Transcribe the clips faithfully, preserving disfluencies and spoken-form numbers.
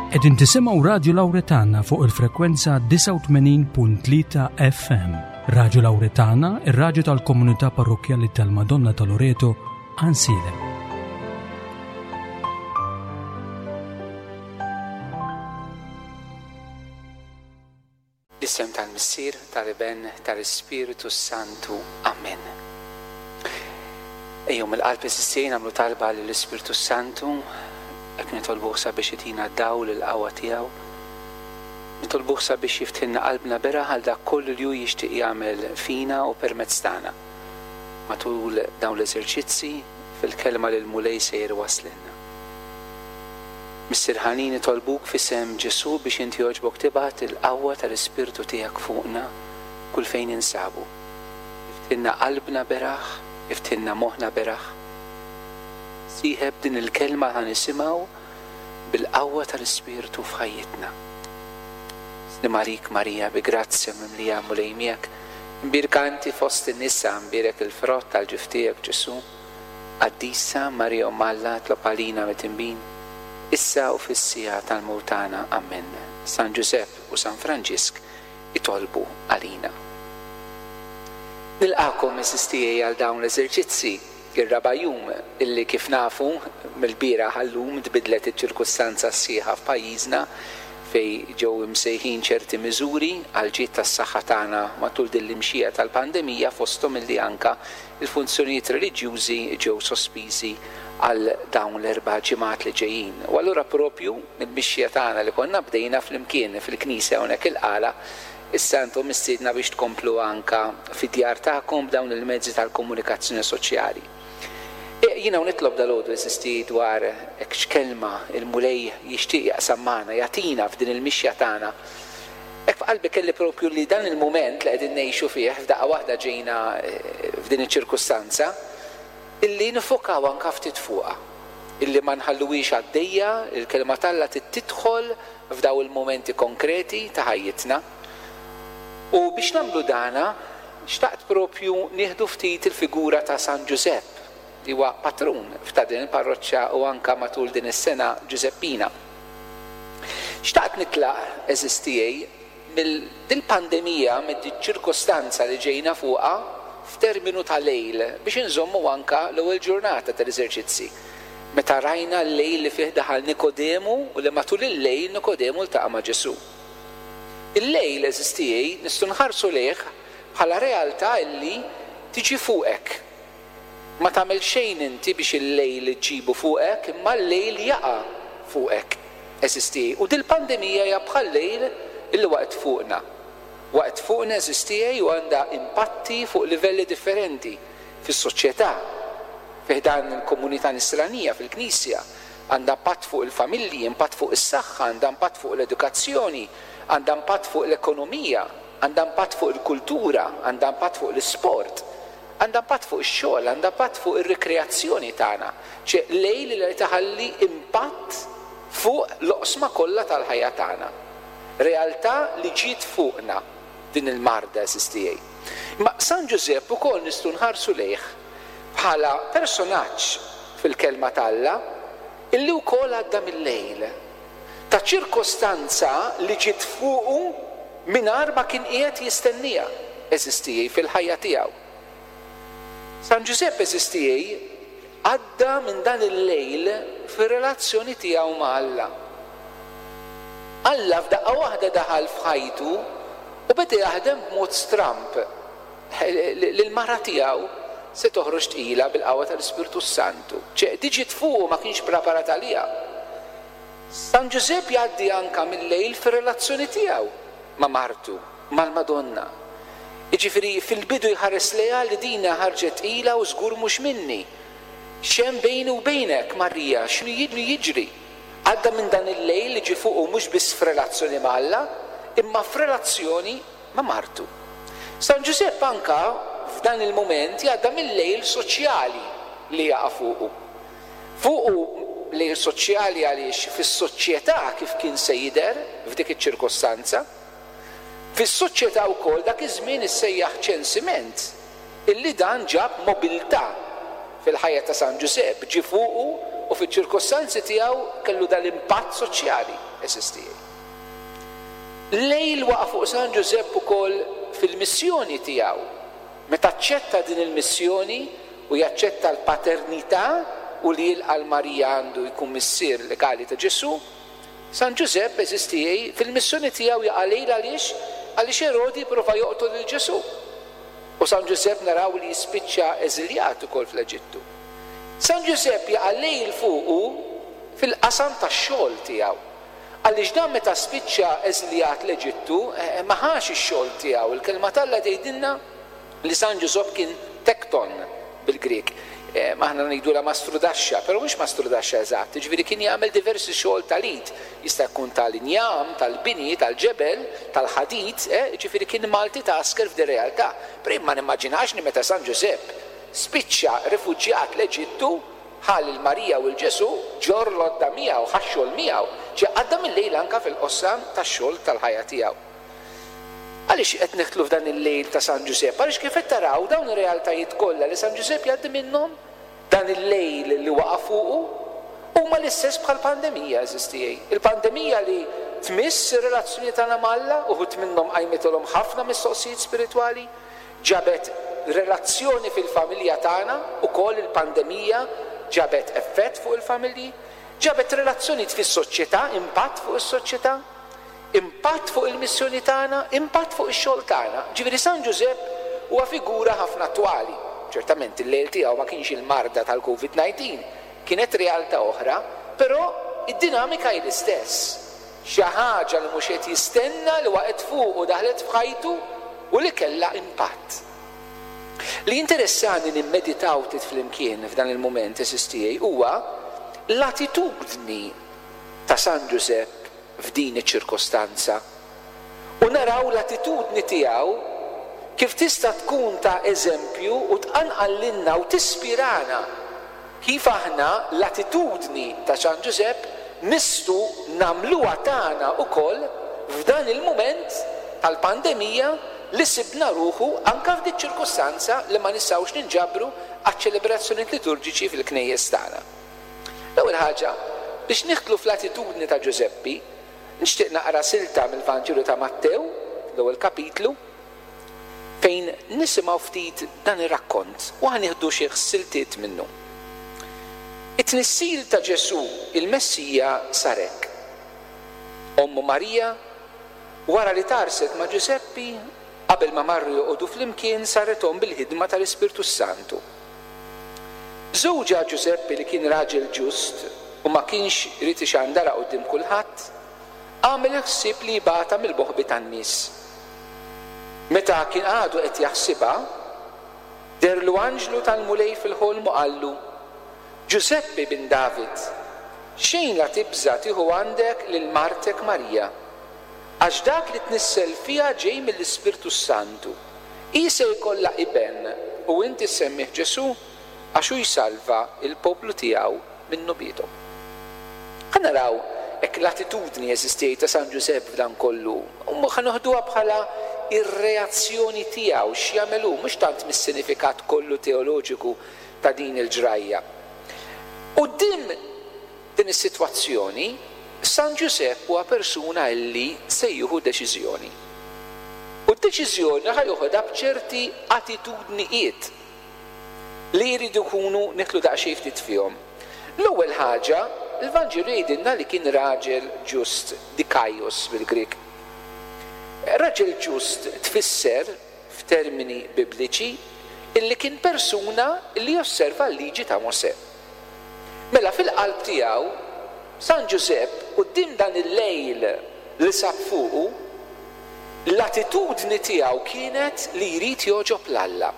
Qegħdin tisimgħu Radju Lawretana fuq il-frekwenza disgħa u tmenin punt tlieta F M. Radju Lawretana, ir-radju tal-Komunità Parrokkjali tal-Madonna ta' Loreto, Għajnsielem. L-isem tal-Missier, tal-Iben, tal-Ispiritu Santu. Amen. Ejjew mill-qalb, għeżież, nagħmlu talba lill-Ispiritu Santu, hekk nitolbuh sabiex itina dawl il-qawwa tiegħu. Nitolbuh sabiex jiftħilna qalbna beraħ għal dak kollu li hu jixtieq jagħmel fina u permezz tagħna. Matul dawn l-eżerċizzi fil-kelma li l-Mulej sejjer iwasslilna. Missier ħanin, nitolbuk f'isem Ġesù biex inti jogħġbok tibgħat il-qawwa tal-Ispirtu tiegħek fuqna kull fejn insabu. Iftħilna qalbna beraħ, iftħilna moħħna beraħ. Sieħeb din il-kelma ħa nisimgħu bil-qawwa tal-Ispirtu f'ħajjitna. Sliem għalik, Marija, bi grazzja mimlija, Mulej miegħek. Imbierka inti fost in-nisa, imbierek il-frott tal-ġuf tiegħek, Ġesù. Qaddisa Marija, Omm Alla, itlob għalina midinbin, issa u fis-siegħa tal-mewt tagħna. Amen. San Ġusepp u San Franġisk itolbu għalina. Nilqagħkom, għeżież tiegħi, għal dawn l-eżerċizzi, ir-raba' jum, illi kif nafu mill-bieraħ għal-lum tbidlet iċ-ċirkustanza sħiħa f'pajjiżna, fejn ġew imsejħin ċerti miżuri għal ġid tas-saħħa tagħna matul din l-imxija tal-pandemija, fosthom illi anka il-funzjonijiet reliġjużi ġew sospiżi għal dawn l-erba' ġimgħat li ġejjin. U allura propju il-mixja tagħna li konna bdejna flimkien fil-knisja hawnhekk il-Qala, issa intom mistiedna biex tkomplu anka fid-djar tagħkom b'dawn il-mezzi tal-komunikazzjoni soċjali. E, jiena nitlob dalgħodu, għeżież tiegħi, dwar hekk x'kelma il-Mulej jixtieq jaqsam magħna, jagħtina f'din il-mixja tagħna. Hekk f'qalbi kelli propju li dan il-mument li qegħdin ngħixu fih, f'daqqa waħda ġejna eh, f'din iċ-ċirkustanza, illi niffokaw anka ftit fuqha. Illi ma nħalluhiex għaddejja, il-kelma t'Alla tidħol f'daw il-momenti konkreti ta' ħajjitna. U biex nagħmlu dana, xtaqt propju nieħdu ftit il-figura ta' San Ġusepp, li huwa patrun f'ta' din il-parroċċa u anka matul din is-sena Ġuseppina. Xtaqt nitlaq, għeżież tiegħi, mill-pandemija, mid-ċirkostanza li ġejna fuqha f'terminu ta' lejl, biex inżommu anka l-ewwel ġurnata tal-eżerċizzi. Meta rajna l-lejl li fih daħal Nikodemu u li matul il-lejl Nikodemu ltaqa' ma' Ġesù. Il-lejl, għeżież tiegħi, nistgħu nħarsu lejh bħala realtà illi tiġi fuqek. Ma tagħmel xejn inti biex il-lejl ġibu fuqek, imma l-lejl jaqa' fuqek, għeżież tiegħi. U dil-pandemija hija bħal lejl illi waqgħet fuqna. Waqgħet fuqna, għeżież tiegħi, u għandha impatti fuq livelli differenti fis-soċjetà, fi ħdan il-komunità nisranija, fil-Knisja, għandha impatt fuq il-familji, impatt fuq is-saħħa, għandha impatt fuq l-edukazzjoni, għandha impatt fuq l-ekonomija, għandha impatt fuq il-kultura, għandha impatt fuq l-isport, għandha impatt fuq ix-xogħol, għandha impatt fuq ir-rikreazzjoni tagħna. Ċe lejl li taħalli impatt fuq l-oqsma kollha tal-ħajja tagħna. Realtà li ġiet fuqna din il-marda, għeżież tiegħi. Ma San Ġużepp ukoll nistgħu nħarsu lejh bħala personaġġ fil-kelma t'Alla illi wkoll għadda mill-lejl ta' ċirkostanza li ġiet fuqu mingħajr ma kien qiegħed jistenniha, għeżież tiegħi, fil-ħajja tiegħu. San Ġużepp, għeżież tiegħi, għadda minn dan il-lejl fir-relazzjoni tiegħu ma' Alla. Alla f'daqqa waħda daħal f'ħajtu u beda jaħdem b'mod stramp. L-mara tiegħu se toħroġ tqila bil-qawwa tal-Ispirtu Santu. Ċe din ġiet fuqu, ma kienx preparat għaliha. San Ġużepp jgħaddi anka mill-lejl fir-relazzjoni tiegħu ma' martu, mal-Madonna. Jiġifieri fil-bidu jħares lejha li dina ħarġet tqila u żgur mhux minni. X'hemm bejni u bejnek, Marija, x'inhu jiġri? Għadda minn dan il-lejl li ġie fuqu mhux biss f'relazzjoni ma' Alla, imma f'relazzjoni ma' martu. San Ġużepp anka f'dan il-moment jgħadda mill-lejl soċjali li jaqa' fuqu. Fuqu lejl soċjali għaliex fis-soċjetà kif kien se jidher f'dik iċ-ċirkostanza. Fis-soċjetà wkoll dak iż-żmien issejjaħ ċensiment, illi dan ġab mobilità fil-ħajja ta' San Ġużepp ġie fuqu u fiċ-ċirkostanzi tiegħu kellu dal-impatt soċjali, għeżież tiegħi. Lejl waqa' fuq San Ġużepp ukoll fil-missjoni tiegħu. Meta aċċetta din il-missjoni u jaċċetta l-paternità u li jilqa' 'l Marija għandu jkun missier legali ta' Ġesù, San Ġużepp, għeżież tiegħi, fil-missjoni tiegħu jaqa' lejl għaliex? Għaliex Erodi prova joqtol lil Ġesù. U San Ġużepp naraw li jispiċċa eżiljat ukoll fl-Eġittu. San Ġużepp jaqa' lejl fuqu fil-qasam tax-xogħol tiegħu. Għaliex dan meta spiċċa eżiljat l-Eġittu, ma ħax ix-xogħol tiegħu. Il-kelma t'Alla tgħidilna li San Ġużepp kien tekton bil-Grieg. Aħna ngħidulha mastrudaxxa, però mhux mastrudaxxa eżatt, jiġifieri kien jagħmel diversi xogħol tal-id, jista' jkun tal-injam, tal-bini, tal-ġebel, tal-ħadid, jiġifieri kien multitasker f'din realtà. Però jien ma nimmaġinax li meta San Ġużepp spiċċa rifuġjat l-Eġittu, ħa lil Marija u 'l Ġesù, ġorr l-għodda miegħu, ħa x-xogħol miegħu, ġie għadda mil-lejl anke fil-qosam tax-xogħol tal-ħajja tiegħu. Għaliex qed nidħlu f'dan il-lejl ta' San Ġużepp? Għaliex kif qed taraw dawn ir-realtajiet kollha li San Ġużepp jgħaddi minnhom, dan il-lejl li waqa' fuqu, huma l-istess bħall-pandemija, għeżież tiegħi. Il-pandemija li tmiss ir-relazzjoni tagħna ma' Alla, uħud minnhom qajmitilhom ħafna mistoqsijiet spiritwali, ġabet relazzjoni fil-familja tagħna, ukoll il-pandemija ġabet effett fuq il-familji, ġabet relazzjonijiet fis-soċjetà, impatt fuq is-soċjetà, impatt fuq il-missjoni tagħna, impatt fuq ix-xogħol tagħna. Ġifieri San Ġużepp huwa figura ħafna attwali. Ċertament il-lejl tiegħu ma kienx il-marda tal-Covid nineteen, kienet realtà oħra, però id-dinamika hi l-istess. Xi ħaġa li mhux qed jistenna li waqgħet fuq u daħlet f'ħajtu u li kellha impatt. Li interessani nimmeditaw ftit flimkien f'dan il-mument, għeżież tiegħi, huwa l-attitudni ta' San Ġużepp f'din iċ-ċirkostanza. U naraw l-attitudni tiegħu kif tista' tkun ta' eżempju u tqanqal lilna u tispirana kif aħna l-attitudni ta' San Ġużepp nistgħu nagħmluha tagħna wkoll f'dan il-mument tal-pandemija li sibna ruħu anka f'dik ċirkostanza li ma nistgħux ninġabru għaċ-ċelebrazzjonijiet liturġiċi fil-knejjes tagħna. L-ewwel ħaġa, biex nidħlu fl-attitudni ta' Ġużeppi, nixtieq naqra silta mill-Vanġelu ta' Mattew, l-ewwel kapitlu, fejn nisimgħu ftit dan ir-rakkont u ħa nieħdu xi siltiet minnu. It-tnissil ta' Ġesù il-Messija sar hekk. Ommu Marija, wara li tarset ma' Ġużeppi, qabel ma marru joqogħdu flimkien, saret omm bil-ħidma tal-Ispirtu Santu. Żewġha Ġużeppi, li kien raġel ġust u ma kienx irid ixandarha quddiem kulħadd, għamel il-ħsieb li jibgħatha mill-boħbi tan-nies. Meta kien għadu qed jaħsibha, deherlu anġlu tal-Mulej fil-ħolm u qallu: Ġużeppi bin David, xejn la tibża' tieħu għandek lil martek Marija, għax dak li tnissel fiha ġej mill-Ispirtu Santu. Hi se jkollha iben u inti semmih Ġesù, għax hu jsalva il-poplu tiegħu minn dnubiethom. Ħa naraw hekk l-attitudni eżistej ta' San Ġużepp f'dan kollu, u ħa noħduha bħala ir-reazzjoni tiegħu x'jagħmel hu, mhux tant mis-sinifikat kollu teoloġiku ta' din il-ġrajja. Quddiem din is-sitwazzjoni, San Ġużepp huwa persuna li se jieħu deċiżjoni. U d-deċiżjoni ħa joħodha b'ċerti attitudnijiet li jridu jkunu nidħlu daqsxejn ftit fihom. L-ewwel ħaġa, il-Vanġelu jgħidilna li kien raġel ġust, dikaios bil-Grieg. Raġel ġust tfisser f'termini bibliċi illi kien persuna li josserva l-liġi ta' Mosè. Mela fil-qalb tiegħu San Ġużepp quddiem dan il-lejl li sab fuqu, l-attitudni tiegħu kienet li jrid jogħġob 'l Alla.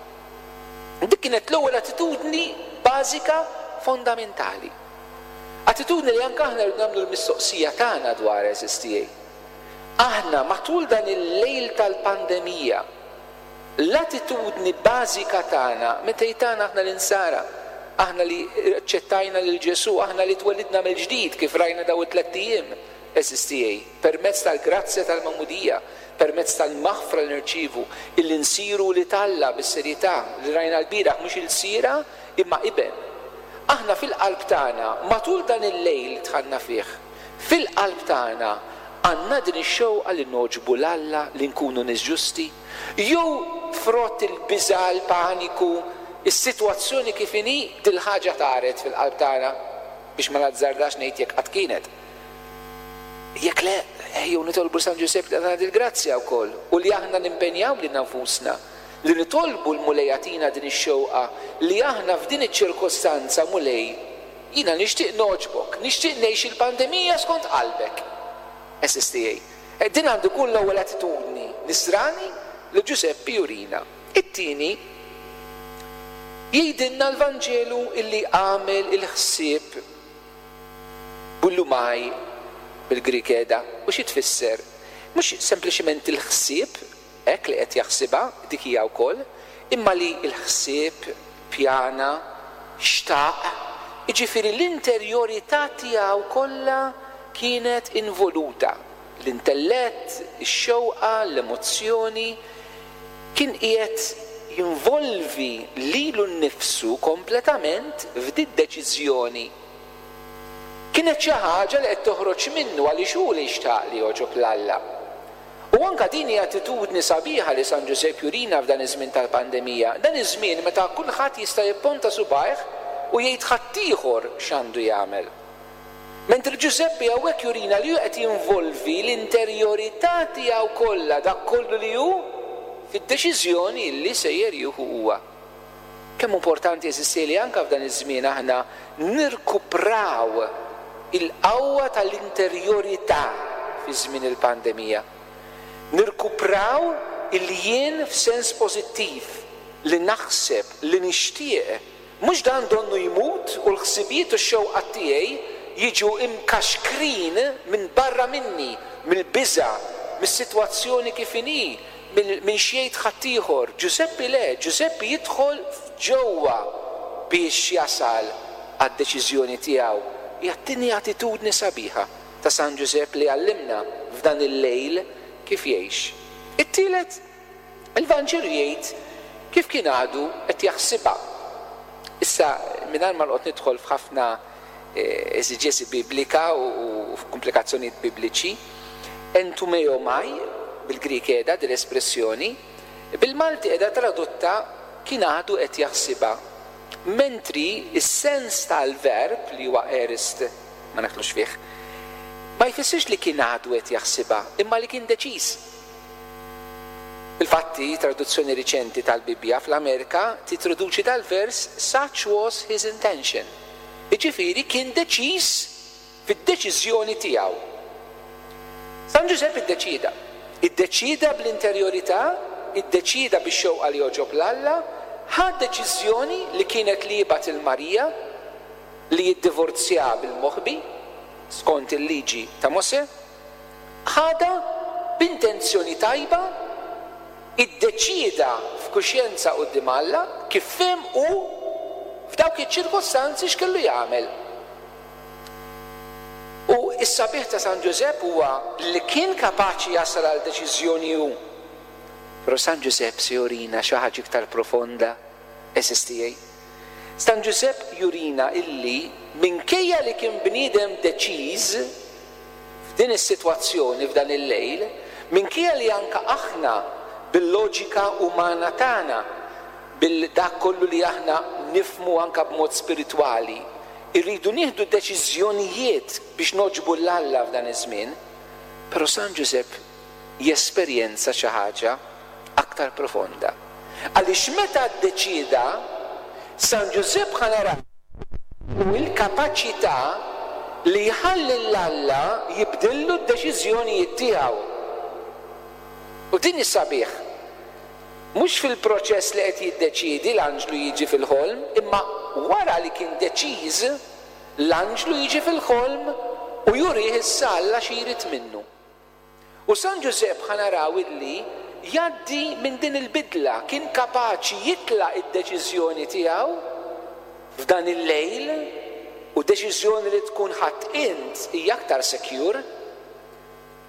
Dik kienet l-ewwel attitudni bażika fondamentali. Attitudni li anke aħna rridu nagħmlu l-mistoqsija tagħna dwar, għeżież tiegħi. Aħna matul dan il-lejl tal-pandemija, l-attitudni bażika tagħna, meta jtana aħna l-insara, aħna li aċċettajna lil Ġesù, aħna li twelidna mill-ġdid kif rajna daw it-tlett ijiem, għeżież tiegħi, permezz tal-grazzja tal-magħmudija, permezz tal-maħfra li nirċievu, illi nsiru wlied Alla bis-serjetà li rajna l-bieraħ, mhux ilsira imma iben. Aħna fil-qalb tagħna, matul dan il-lejl dħalna fih, fil-qalb tagħna għandna din ix-xewqa li nogħġbu 'l Alla, li nkunu nies ġusti, jew frott il-biża', il-paniku, is-sitwazzjoni kif inhi, dil-ħaġa taret fil-qalb tagħna, biex ma nazzardax ngħid jekk qatt kienet. Jekk le, ejjew nitolbu San Ġużepp li jagħtina dil-grazzja wkoll u li aħna nimpenjaw lilna nfusna li nitolbu l-Mulej jagħtina din ix-xewqa li aħna f'din iċ-ċirkostanza, Mulej, jiena nixtieq nogħġbok, nixtieq ngħix il-pandemija skont qalbek. Għeżież tiegħi, din għandu jkun l-ewwel attitudni nisrani li Ġużeppi jurina. It-tieni, jgħidilna l-Vanġelu illi għamel il-ħsieb boulomai bil-Grieg qiegħda. U xi tfisser? Mhux sempliċement il-ħsieb, hekk li qed jaħsibha, dik hija wkoll, imma li l-ħsieb pjana, xtaq, jiġifieri l-interjorità tiegħu kollha kienet involuta. L-intellett, ix-xewqa, l-emozzjoni, kien qiegħed jinvolvi lilu nnifsu kompletament f'did-deċiżjoni. Kienet xi ħaġa li qed toħroġ minnu għaliex hu li xtaq li jogħġob 'l Alla. U anke din hi attitudni sabiħa li San Ġużepp jurina f'dan iż-żmien tal-pandemija, dan iż-żmien meta kulħadd jista' jipponta subgħajh u jgħid ħaddieħor x'għandu jagħmel. Mentri Ġużeppi hawnhekk jurina li hu qed jinvolvi l-interjorità tiegħu kollha, dak kollu li hu, fid-deċiżjoni li sejjer jieħu huwa. Kemm importanti, għeżież tiegħi, li anke f'dan iż-żmien aħna nirkupraw il-qawwa tal-interjorità fi żmien il-pandemija. Nirkupraw il-jien f'sens pożittiv, li naħseb, li nixtieq, mhux dan donnu jmut u l-ħsibijiet u x-xewqat tiegħi jiġu imkaxkrin minn barra minni, mill-biża', mis-sitwazzjoni kif inhi, minn x'jgħid ħaddieħor. Ġużeppi le, Ġużeppi jidħol f'ġewwa biex jasal għad-deċiżjoni tiegħu. Hija t-tieni attitudni sabiħa ta' San Ġużepp li għallimna f'dan il-lejl kif jgħix. It-tielet, il-Vanġelu jgħid kif kien għadu qed jaħsibha. Issa, mingħajr ma noqgħod nidħol f'ħafna eżiġesi biblika u f'komplikazzjonijiet bibliċi, entumeomai, bil-Grieg qiegħda din l-espressjoni, bil-Malti qiegħda tradotta kien għadu qed jaħsibha. Mentri s-sens tal-verb li huwa aorist, ma naħlux fih, ma jfissirx li kien għadu qed jaħsibha, imma li kien deċiż. Infatti, traduzzjoni riċenti tal-Bibbja fl-Amerika titraduċi dal-vers such was his intention. Jiġifieri kien deċiż fid-deċiżjoni tiegħu. San Ġużepp iddeċieda. Iddeċieda bl-interjorità, iddeċieda bix-xewqa li jogħġob 'l Alla, ħa deċiżjoni li kienet li jibgħat il-Marija li jiddivorzja bil-moħbi skont il-liġi ta' Mosè, ħadha b'intenzjoni tajba, iddeċieda f'kuxjenza quddiem Alla kif fehem hu f'dawk iċ-ċirkostanzi x'kellu jagħmel. U s-sabiħ ta' San Ġużepp huwa li kien kapaċi jasal għal deċiżjoni hu. Però San Ġużepp se jurina xi ħaġa iktar profonda, għeżież tiegħi. San Ġużepp jurina illi minkejja li kien bniedem deċiż f'din is-sitwazzjoni f'dan il-lejl, minkejja li anka aħna bil-loġika umana tagħna, bil-dak kollu li aħna nifmu anka b'mod spiritwali, irridu nieħdu deċiżjonijiet biex noġbu 'l Alla f'dan iż-żmien, però San Ġużepp jesperjenza xi ħaġa aktar profonda. Għaliex meta ddeċieda, San Ġużepp ħa naraw il-kapaċità li jħalli 'l Alla jibdillu d-deċiżjonijiet tiegħu. U din is-sabiħ. Mhux fil-proċess li qed jiddeċiedi l-anġlu jiġi fil-ħolm, imma wara li kien deċiż, l-anġlu jiġi fil-ħolm u jurih issa Alla xi jrid minnu. U San Ġużepp ħa naraw illi jgħaddi minn din il-bidla, kien kapaċi jitlaq id-deċiżjoni tiegħu f'dan il-lejl, u deċiżjoni li tkun ħadd int hija aktar secure,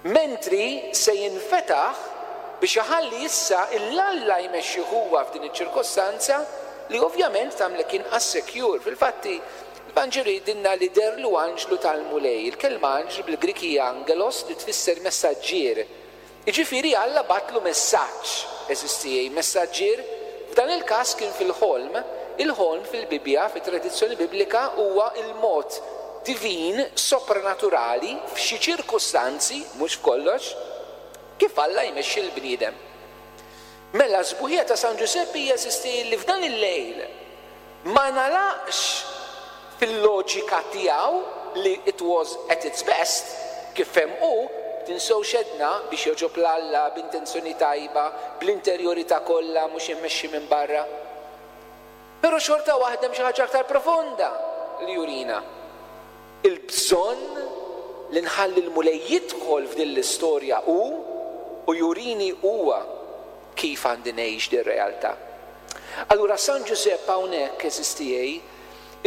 mentri se jinfetaħ biex iħalli issa 'l Alla jmexxih huwa f'din iċ-ċirkostanza li ovvjament tagħmlek inqas secure. Fil-fatti, il-Vanġelu jgħidilna li deherlu anġlu tal-Mulej. Il-kelma anġlu bil-Grik hija angelos li tfisser messaġġier. Jiġifieri Alla bagħatlu messaġġ, għeżież tiegħi, messaġġier. F'dan il-każ kien fil-ħolm. Il-ħolm fil-Bibbja, fit-tradizzjoni biblika, huwa il-mod divin, sopranaturali, f'xi ċirkustanzi, mhux f'kollox, kif Alla jmexxi l-bniedem. Mela sbuħija ta' San Ġużeppi hija, għeżież tiegħi, li f'dan il-lejl ma nalaqx fil-loġika tiegħu li it was at its best, kif fehem hu, tinsewx għedna biex jogħġob 'l Alla b'intenzjoni tajba, bl-interjorità kollha, mhux immexxi minn barra. Però xorta waħda hemm xi ħaġa aktar profonda li jurina. Il-bżonn li nħalli l-Mulej jidħol f'din l-istorja hu u jurini huwa kif għandi ngħix din realtà. Allura San Ġużepp hawnhekk, għeżież tiegħi,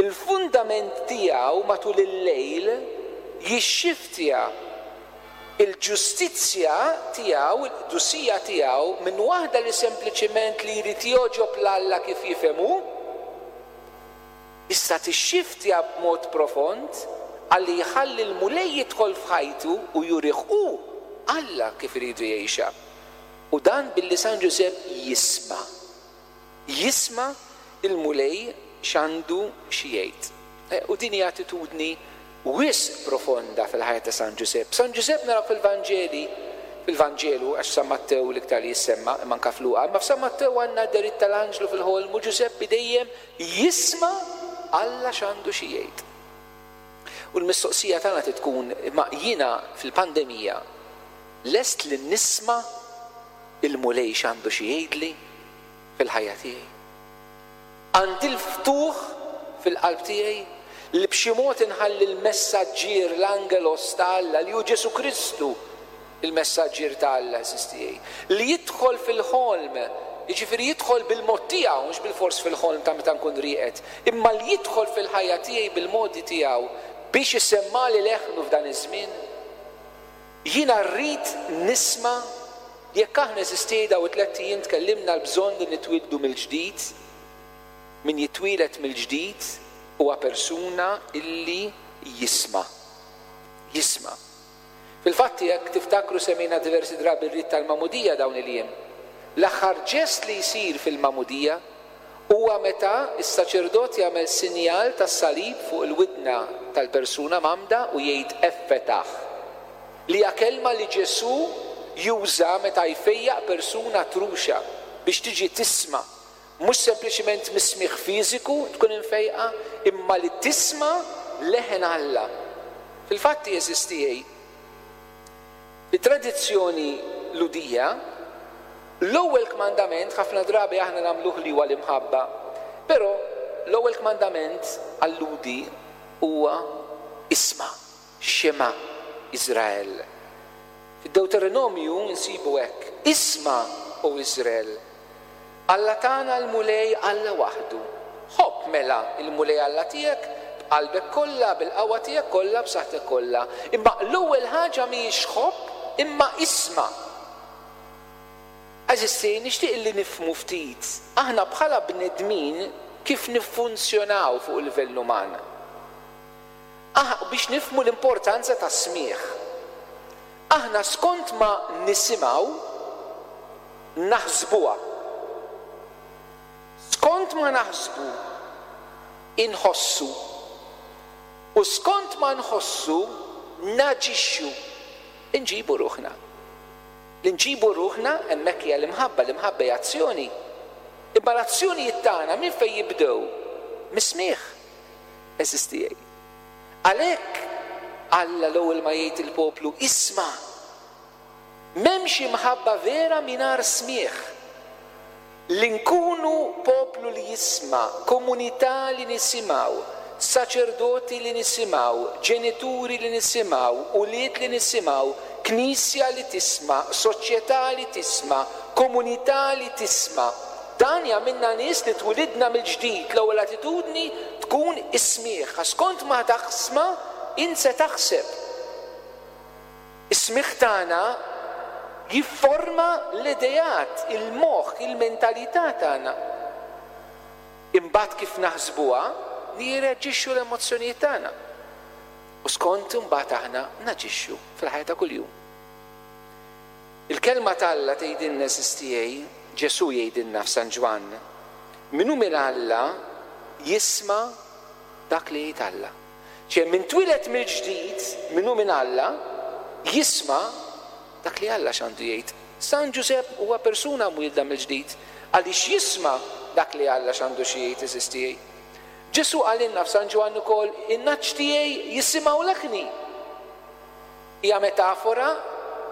il-fundament tiegħu matul il-lejl jixxiftja il-ġustizzja tiegħu, il-qdusija tiegħu minn waħda li sempliċiment li jrid jogħġob 'l Alla kif jifhem hu, issa tixxiftja b'mod profond għalli jħalli l-Mulej jidħol f'ħajtu u jurih hu Alla kif iridu jgħixha. U dan billi San Ġużepp jisma'. Jisma' il-Mulej x'għandu xi jgħid. Eh, u din hija attitudni wisq profonda fil-ħajja ta' San Ġużepp. San Ġużepp naraw fil-Vanġeli, fil-Vanġelu, għax San Mattew l-iktar li jissemma, imma anke f'Luqa, imma f'San Mattew għandna d-dehriet tal-anġlu fil-ħolm u Ġużeppi dejjem jisma' Alla x'għandu xi jgħid. U l-mistoqsija tagħna tkun, imma jiena fil-pandemija lest li nisma' il-Mulej x'għandu xi jgħidli fil-ħajja tiegħi? Għandi l-ftuħ fil-qalb tiegħi li b'xi mod inħalli l-messaġġier, l-angelos ta' Alla, li hu Ġesu Kristu, il-messaġġier ta' Alla, għeżież tiegħi, li jidħol fil-ħolm, jiġifieri jidħol bil-mod tiegħu, mhux bil-fors fil-ħolm ta' meta nkun rieqed, imma li jidħol fil-ħajja tiegħi bil-modi tiegħu biex isemmali leħnu f'dan iż-żmien. Jiena rrid nisma'. Jekk aħna, għeżież tiegħi, dawn it-tlett ijiem tkellimna l-bżonn li nitwieldu mill-ġdid, min jitwieled mill-ġdid huwa persuna illi jisma'. Jisma'. Fil-fatti, jekk tiftakru, semmejna diversi drabi r-rit tal-magħmudija dawn il-jiem. L-aħħar ġest li jsir fil-magħmudija huwa meta s-saċerdot jagħmel sinjal tas-salib fuq il-widna tal-persuna mgħammda u jgħid effetah, li hija kelma li Ġesù juża meta jfejjaq persuna truxa biex tiġi tisma', mhux sempliċiment mis-smigħ fiżiku tkun imfejqa, imma li tisma' leħen Alla. Fil-fatti, għeżież tiegħi, fit-tradizzjoni Lhudija, l-ewwel kmandament ħafna drabi aħna nagħmluh li huwa l-imħabba, però l-ewwel kmandament għal-Lhudi huwa isma', Xema Iżrael. Fid-Deuteronomju nsibu hekk: Isma', o Iżrael, Alla tagħna l-Mulej Alla waħdu. Ħobb mela il-Mulej Alla tiegħek b'qalbek kollha, bil-qawwa tiegħek kollha, b'saħħtek kollha. Imma l-ewwel ħaġa mhijiex ħobb, imma isma'. Għeżież tiegħi, nixtieq li nifhmu ftit aħna bħala bnedmin kif niffunzjonaw fuq il-livell uman. Ah, biex nifhmu l-importanza tas-smigħ. Aħna skont ma nisimgħu naħsbuha. Skont ma naħsbu inħossu. U skont ma nħossu naġixxu. Inġibu ruħna. Li nġibu ruħna hemmhekk hija l-imħabba, l-imħabba hija azzjoni. Imma l-azzjonijiet tagħna minn fejn jibdew? Mis-smigħ. Għeżież tiegħi. Għalhekk Alla l-ewwel ma jgħid il-poplu isma'. M'hemmx imħabba vera mingħajr smigħ. Li nkunu poplu li jisma', komunità li nisimgħu, saċerdoti li nisimgħu, ġenituri li nisimgħu, ulied li nisimgħu, knisja li tisma', soċjetà li tisma', komunità li tisma'. Dan jagħmilna nies li twilidna mill-ġdid. L-ewwel attitudni tkun is-smigħ. Għax skont ma taħsma, int se taħseb. Is-smigħ tagħna jifforma l-ideat, il-moħħ, il-mentalità tagħna. Imbagħad kif naħsbuha, nirreaġixxu l-emozzjonijiet tagħna. U skont imbagħad aħna naġixxu fil-ħajja ta' kuljum. Il-kelma t'Alla tgħidilna, għeżież tiegħi, Ġesù jgħidilna f'San Ġwann, min hu minn Alla jisma' dak li jgħid Alla. Ċe min twieled mill-ġdid, min hu minn Alla, jisma' dak li Alla x'għandu jgħid. San Ġużepp huwa persuna mwielda mill-ġdid għaliex jisma' dak li Alla x'għandu xi jgħid, għeżież tiegħi. Ġesù qalilna f'San Ġwann ukoll, in-nagħaġ tiegħi jisimgħu leħni. Hija metafora,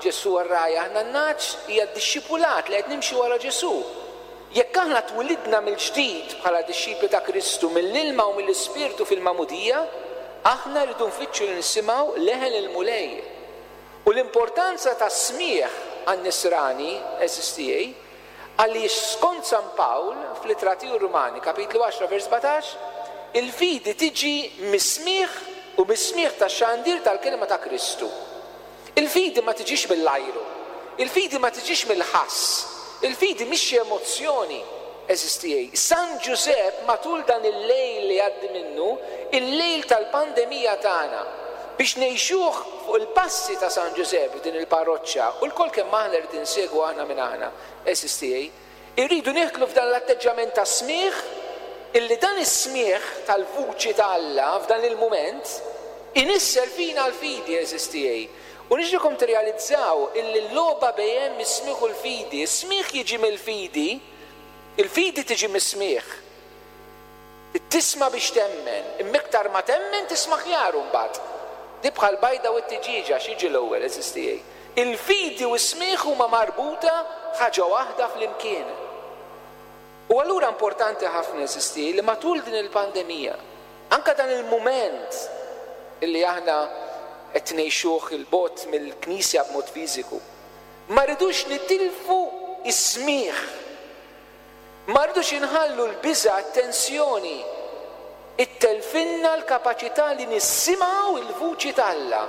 Ġesù r-ragħaj, aħna n-nagħaġ, hija d-dixxipulat li qed nimxi wara Ġesù. Jekk aħna twilidna mill-ġdid bħala dixxipli ta' Kristu mill-ilma u mill-Ispirtu fil-magħmudija, aħna rridu nfittxu li nisimgħu leħen il-Mulej. U l-importanza ta' smigħ għan-nisrani, għeżież tiegħi, għaliex skont San Pawl fl-Ittra tiegħu Rumani, kapitlu għaxra vers sbatax, il-fidi tiġi mis-smigħ u mis-smigħ tax-xandir tal-kelma ta' Kristu. Il-fidi ma tiġix mill-ajru, il-fidi ma tiġix mill-ħass, il-fidi mhix xi emozzjoni, għeżież tiegħi. San Ġużepp matul dan il-lejl li għaddi minnu, il-lejl tal-pandemija tagħna, biex ngħixuh fuq il-passi ta' San Ġużepp din il-parroċċa, u lkoll kemm aħna rrid insegwu aħna minn aħna, għeżież tiegħi, irridu nieħdlu f'dan l-atteġġjament ta' smigħ, illi dan is-smigħ tal-vuċi ta' Alla f'dan il-mument inissel fina l-fidi, għeżież tiegħi. U nixtieqkom tirrealizzaw illi l-logħba bejn is-smigħ u l-fidi, is-smigħ jiġi mill-fidi, il-fidi tiġi mis-smigħ. Tisma' biex temmen, imma iktar ma temmen tisma' ħjar mbagħad. Di bħal bajda u t-tiġieġa x'jiġi l-ewwel, għeżież tiegħi. Il-fidi u s-smigħ huma marbuta ħaġa waħda flimkien. U allura importanti ħafna, għeżież tiegħi, li matul din il-pandemija, anka dan il-mument illi aħna qed ngħixuh il-bogħod mill-Knisja b'mod fiżiku, ma rridux nitilfu is-smigħ. Ma rridux inħallu l-biża', t-tensjoni, ittelfinna l-kapaċità li nisimgħu il-vuċi t'Alla.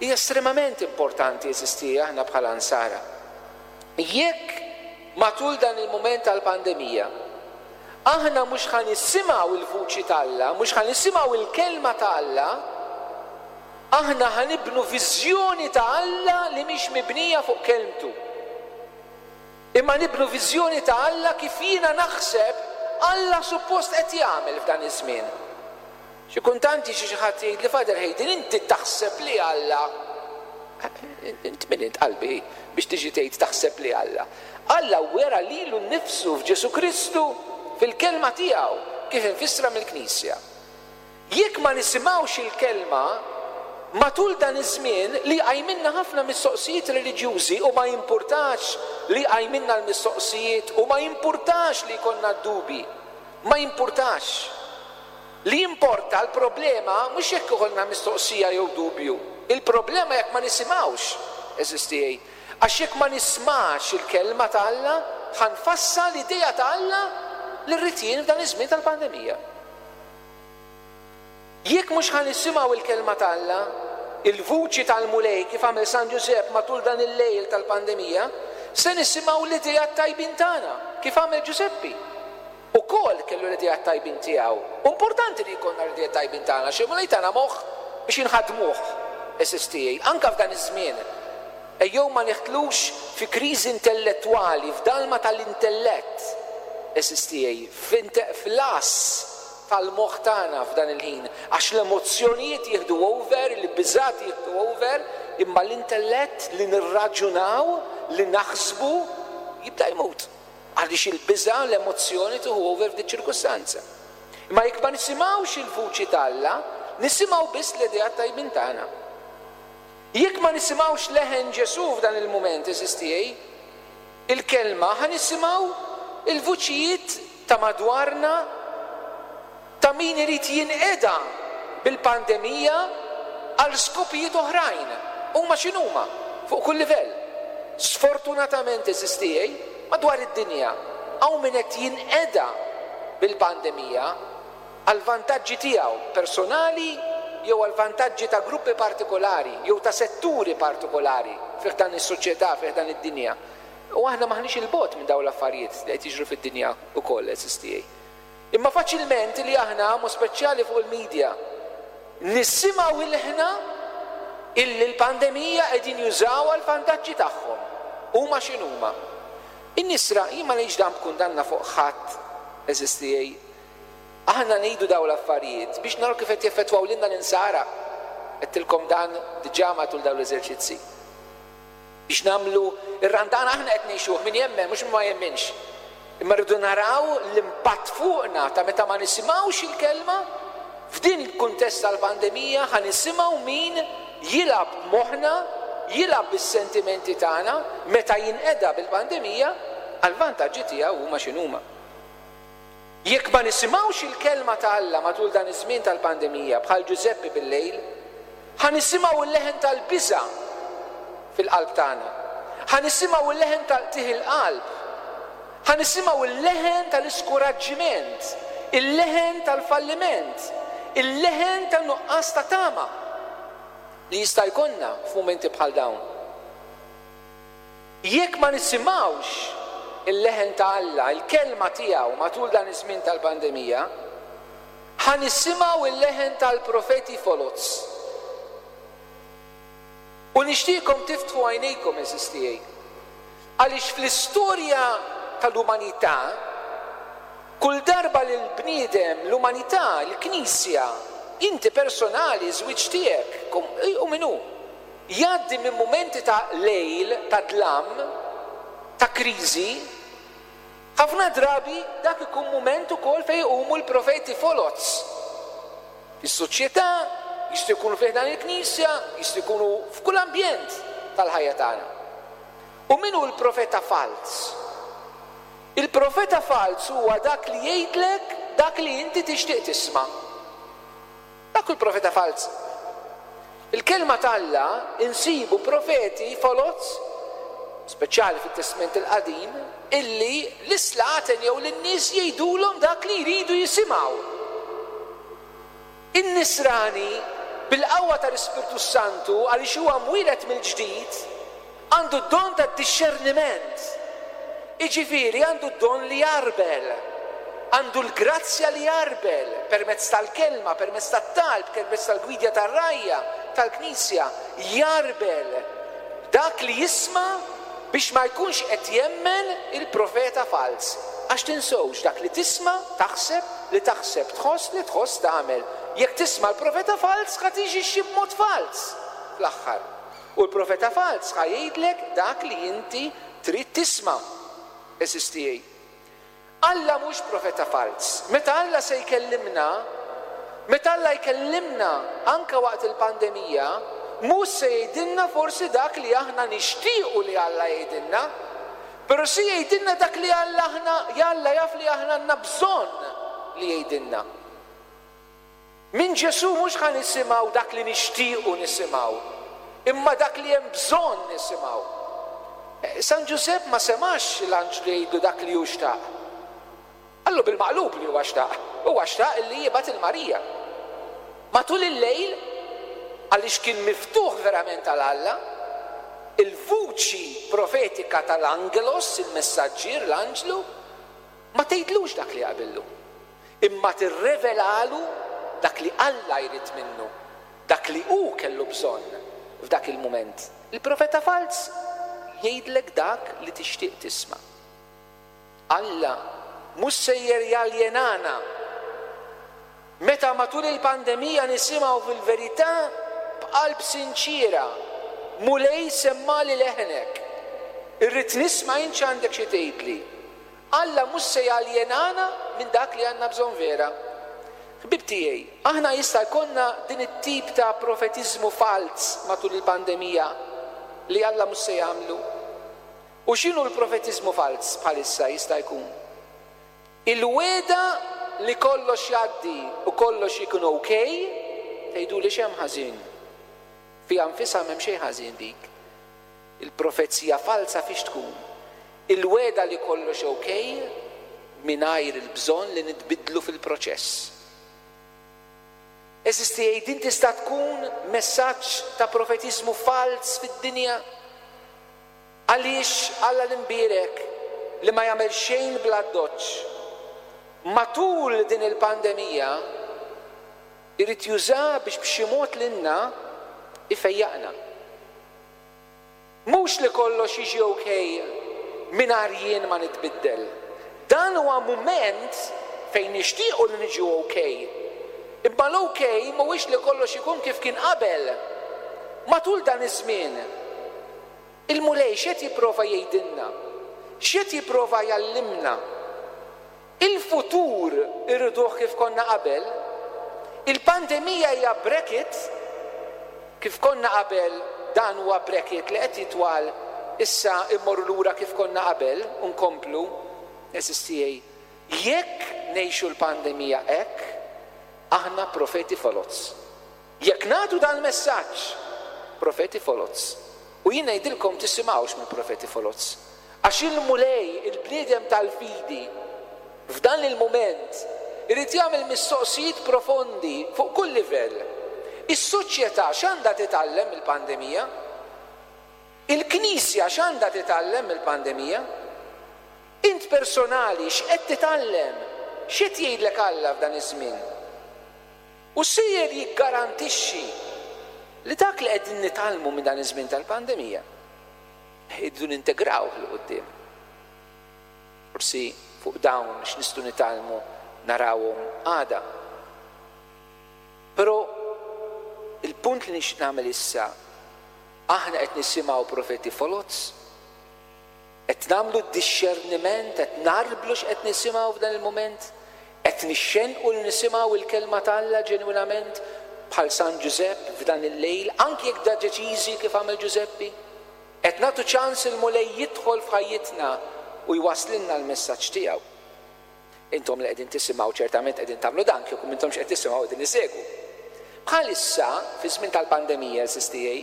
Hija estremament importanti, għeżież tiegħi, aħna bħala nsara. Jekk matul dan il-mument tal-pandemija aħna mhux ħa nisimgħu il-vuċi t'Alla, mhux ħa nisimgħu il-kelma ta' Alla, aħna ħa nibnu viżjoni ta' Alla li mhix mibnija fuq kelmtu. Imma nibnu viżjoni ta' Alla kif jiena naħseb Alla suppost qed jagħmel f'dan iż-żmien. Xi kultant jiġi xi ħadd jgħid li Father Hayden, inti taħseb li Alla. Int min int qalbi biex tiġi tgħid taħseb li Alla. Alla wera lilu nnifsu f'Ġesu Kristu fil-kelma tiegħu kif infissra mill-Knisja. Jekk ma nisimgħux il-kelma matul dan iż-żmien li qajminna ħafna mistoqsijiet reliġjużi, u ma jimpurtax li qajminna l-mistoqsijiet, u ma jimpurtax li jkollna d-dubi, ma jimpurtax. Li jimporta l-problema mhux jekk ikollna mistoqsija jew dubju, il-problema jekk ma nisimgħux, għeżież tiegħi. Għax jekk ma nismax il-kelma ta' Alla, ħanfassa l-idea ta' Alla li rrid jien f'dan iż-żmien tal-pandemija. Jekk mhux ħa nisimgħu il-kelma ta' Alla, il-vuċi tal-Mulej kif għamel San Ġużepp matul dan il-lejl tal-pandemija, se nisimgħu l-idea tajbin tagħna kif għamel Ġużeppi. Ukoll kellu l-idea tajbin tiegħu. Importanti li jkollna l-idea tajbin tagħna, xi Mulej tagħna moħħ biex inħadmuh, għeżież tiegħi, anke f'dan iż-żmien. Ejjew ma neħtlux fi kriżi intellettwali, f'dalma tal-intellett, għeżież tiegħi, fl-as tal-moħħ tagħna f'dan il-ħin, għax l-emozzjonijiet jieħdu over, il-biżat jieħdu over, imma l-intellett li nirraġunaw, li naħsbu, jibda jmut. Għaliex il-biża, l-emozzjoni tieħu over f'dik ċirkustanza. Imma jekk ma nisimgħux il-vuċi t'Alla, nisimgħu biss l-idea tajbin tagħna. Jekk ma nisimgħux leħen Ġesù f'dan il-mument, għeżież tiegħi, il-kelma, ħa nisimgħu il-vuċijiet ta' madwarna, ta' min irid jinqeda bil-pandemija għal skopijiet oħrajn. Huma x'inhuma fuq kull livell. Sfortunatament, għeżież tiegħi, madwar id-dinja hawn min qed jinqeda bil-pandemija għal vantaġġi tiegħu personali jew għall-vantaġġi ta' gruppi partikolari jew ta' setturi partikolari fi ħdan is-soċjetà, fi ħdan id-dinja. U aħna m'aħniex 'il bogħod minn dawn l-affarijiet li qed jiġru fid-dinja wkoll, għeżież tiegħi. Imma faċilment li aħna, mod speċjali fuq il-media, nisimgħu ilħna illi l-pandemija qegħdin jużawha għall-vantaġġi tagħhom. Huma x'inhuma. In-nisra, jien ma ngħidx dan b'kundanna fuq ħadd, għeżież tiegħi. Aħna ngħidu dawn l-affarijiet biex naraw kif qed jeffettwaw lilna l-insara. Għedtilkom dan diġà matul dawn l-eżerċizzi. Biex nagħmlu ir-Randan aħna qed ngħixuh min jemmen mhux min ma jemminx. Imma rridu naraw l-impatt fuqna ta' meta ma nisimgħux il-kelma f'din il-kuntest tal-pandemija ħa nisimgħu min jilgħab b'moħħna, jilgħab bis-sentimenti tagħna meta jinqeda bil-pandemija għall-vantaġġi tiegħu huma x'inhuma. Jekk ma nisimgħux il-kelma ta' Alla matul dan iż-żmien tal-pandemija bħal Ġużeppi bil-lejl, ħa nisimgħu l-leħen tal-biża' fil-qalb tagħna. Ħa nisimgħu l-leħen tal-qtigħ il-qalb. Ħa nisimgħu l-leħen tal-iskuraġġiment, il-leħen tal-falliment, il-leħen tan-nuqqas ta' tama li jista' jkollna f'mumenti bħal dawn. Jekk ma nisimgħux il-leħen ta' Alla, il-kelma tiegħu matul dan iż-żmien tal-pandemija, ħa nisimgħu il-leħen tal-profeti foloz. U nixtieqkom tiftħu għajnejkom, għeżież tiegħi, għaliex fl-istorja tal-umanità, kull darba li l-bniedem, l-umanità, il-Knisja, inti personali, żwieġ tiegħek, u min hu, jgħaddi minn mumenti ta' lejl, ta' dlam, ta' kriżi, ħafna drabi dak ikun mument ukoll fejn iqumu l-profeti foloz. Fis-soċjetà, jistgħu jkunu fi ħdan il-Knisja, jistgħu jkunu f'kull ambjent tal-ħajja tagħna. U min hu l-profeta falz? Il-profeta falz huwa dak li jgħidlek dak li inti tixtieq tisma'. Dak hu l-profeta falz. Il-kelma t'Alla insibu profeti foloz, speċjali fit-Testment il-Qadim, illi l-islaten jew lin-nies jgħidulhom dak li jridu jisimgħu. In-nisrani bil-qawwa tal-Ispirtu Santu, għaliex huwa mwieled mill-ġdid, għandu d-don tad-dixxerniment. Jiġifieri għandu d-don li jarbel, għandu l-grazzja li jarbel permezz tal-kelma, permezz tat-talb, permezz tal-gwidja tar-rgħajja tal-Knisja, jarbel dak li jisma' biex ma jkunx qed jemmen il-profeta falz. Għax tinsewx dak li tisma' taħseb, li taħseb tħoss, li tħoss tagħmel. Jekk tisma' l-profeta falz ħa tiġixxi b'mod falz fl-aħħar. U l-profeta falz ħa jgħidlek dak li inti trid tisma'. Għeżież tiegħi. Alla mhux profeta falz. Meta Alla se jkellimna, meta Alla jkellimna anka waqt il-pandemija, mhux se jgħidilna forsi dak li aħna nixtiequ li Alla jgħidilna, però se jgħidilna dak li Alla aħna, Alla jaf li aħna għandna bżonn li jgħidilna. Minn Ġesù mhux ħa nisimgħu dak li nixtiequ nisimgħu, imma dak li hemm bżonn nisimgħu. San Ġużepp ma semax l-anġlu jgħidlu dak li hu xtaq. Qallu bil-maqlub li huwa xtaq. Huwa xtaq li jibgħat il-Marija. Matul il-lejl, għaliex kien miftuħ verament għal Alla, il-vuċi profetika tal-angelos, il-messaġġier, l-anġlu, ma tgħidlux dak li jaqbillu, imma tirrevelalu dak li Alla jrid minnu, dak li hu kellu bżonn f'dak il-mument. Il-profeta falz jgħidlek dak li tixtieq tisma'. Alla mhux sejjer jaljenana. Meta matul il-pandemija nisimgħu fil-verità b'qalb sinċiera, Mulej semmali leħnek, irrid nisma' int x'għandek xi tgħidli. Alla mhux se jaljenana minn dak li għandna bżonn vera. Ħbib tiegħi, aħna jista' jkollna din it-tip ta' profetiżmu falz matul il-pandemija li Alla mhux se jagħmlu. U x'inhu l-profetiżmu falz bħalissa jista' jkun? Il-weda li kollox jgħaddi u kollox ikun okej, tgħidu li x'hemm ħażin. Fiha nfisha m'hemm xejn ħażin dik. Il-profezija falsa fiex tkun? Il-weda li kollox okej mingħajr il-bżonn li nitbidlu fil-proċess. Għeżież tiegħi, din tista' tkun messaġġ ta' profetiżmu falz fid-dinja. Għaliex Alla l-imbierek li ma jagħmel xejn bl-addoċċ, matul din il-pandemija irid juża biex b'xi mod lilna ifejjaqna. Mhux li kollox jiġi okej mingħajr jien ma nitbiddel. Dan huwa mument fejn nixtiequ li niġu okej. Imma l-okej mhuwiex li kollox ikun kif kien qabel. Matul dan iż-żmien, il-Mulej x'qed jipprova jgħidilna? X'qed jipprova jgħallimna? Il-futur irriduh kif konna qabel. Il-pandemija hija bracket, kif konna qabel dan huwa bracket li qed jitwal, issa immorru lura kif konna qabel u nkomplu. Għeżież tiegħi, jekk ngħixu l-pandemija hekk, aħna profeti foloz. Jekk nagħtu dan messaġġ, profeti foloz. U jien ngħidilkom tisimgħux minn profeti foloz. Għax il-Mulej, il-bniedem tal-fidi, f'dan il-mument irid jagħmel mistoqsijiet profondi fuq kull livell. Is-soċjetà x'għandha titgħallem mill-pandemija? Il-Knisja x'għandha titgħallem mill-pandemija? Int personali x'qed titgħallem? X'qed jgħidlek Alla f'dan iż-żmien? U sejjer jiggarantixxi li dak li qegħdin nitgħallmu minn dan iż-żmien tal-pandemija irridu nintegrawh 'l quddiem. Forsi fuq dawn x'nistgħu nitgħallmu narawhom għada. Però il-punt li nixtieq nagħmel issa, aħna qed nisimgħu profeti foloz, qed nagħmlu d-dixxerniment, qed narblu x'qed nisimgħu f'dan il-mument, qed nixxenqu li nisimgħu il-kelma t'Alla ġenwinament bħal San Ġużepp f'dan il-lejl, anki jekk da deċiżi kif għamel Ġużeppi. Qed nagħtu ċans il-Mulej jidħol f'ħajjitna u jwaslilna l-messaġġ tiegħu. Intom li qegħdin tisimgħu ċertament qegħdin tagħmlu dan, kieku m'intomx qed tisimgħu qegħdin isegwu. Bħalissa, fi żmien tal-pandemija, għeżież tiegħi,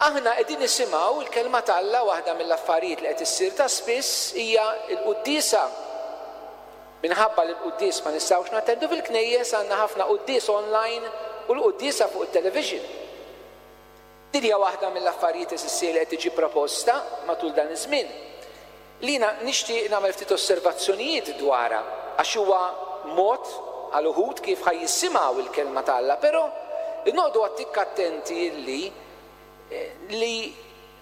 aħna qegħdin nisimgħu l-kelma t'Alla. Waħda mill-affarijiet li qed issir ta' spiss hija l-quddiesa. Minħabba li l-quddies ma nistgħux nattendu fil-knejjes, għandna ħafna quddies online u l-quddiesa fuq it-television. Din hija waħda mill-affarijiet għeżież li qed tiġi proposta matul dan iż-żmien. Li jiena nixtieq nagħmel ftit osservazzjonijiet dwarha, għax huwa mod għal uħud kif ħaj jisimgħu il-kelma t'Alla, però noqogħdu għattik attenti li, li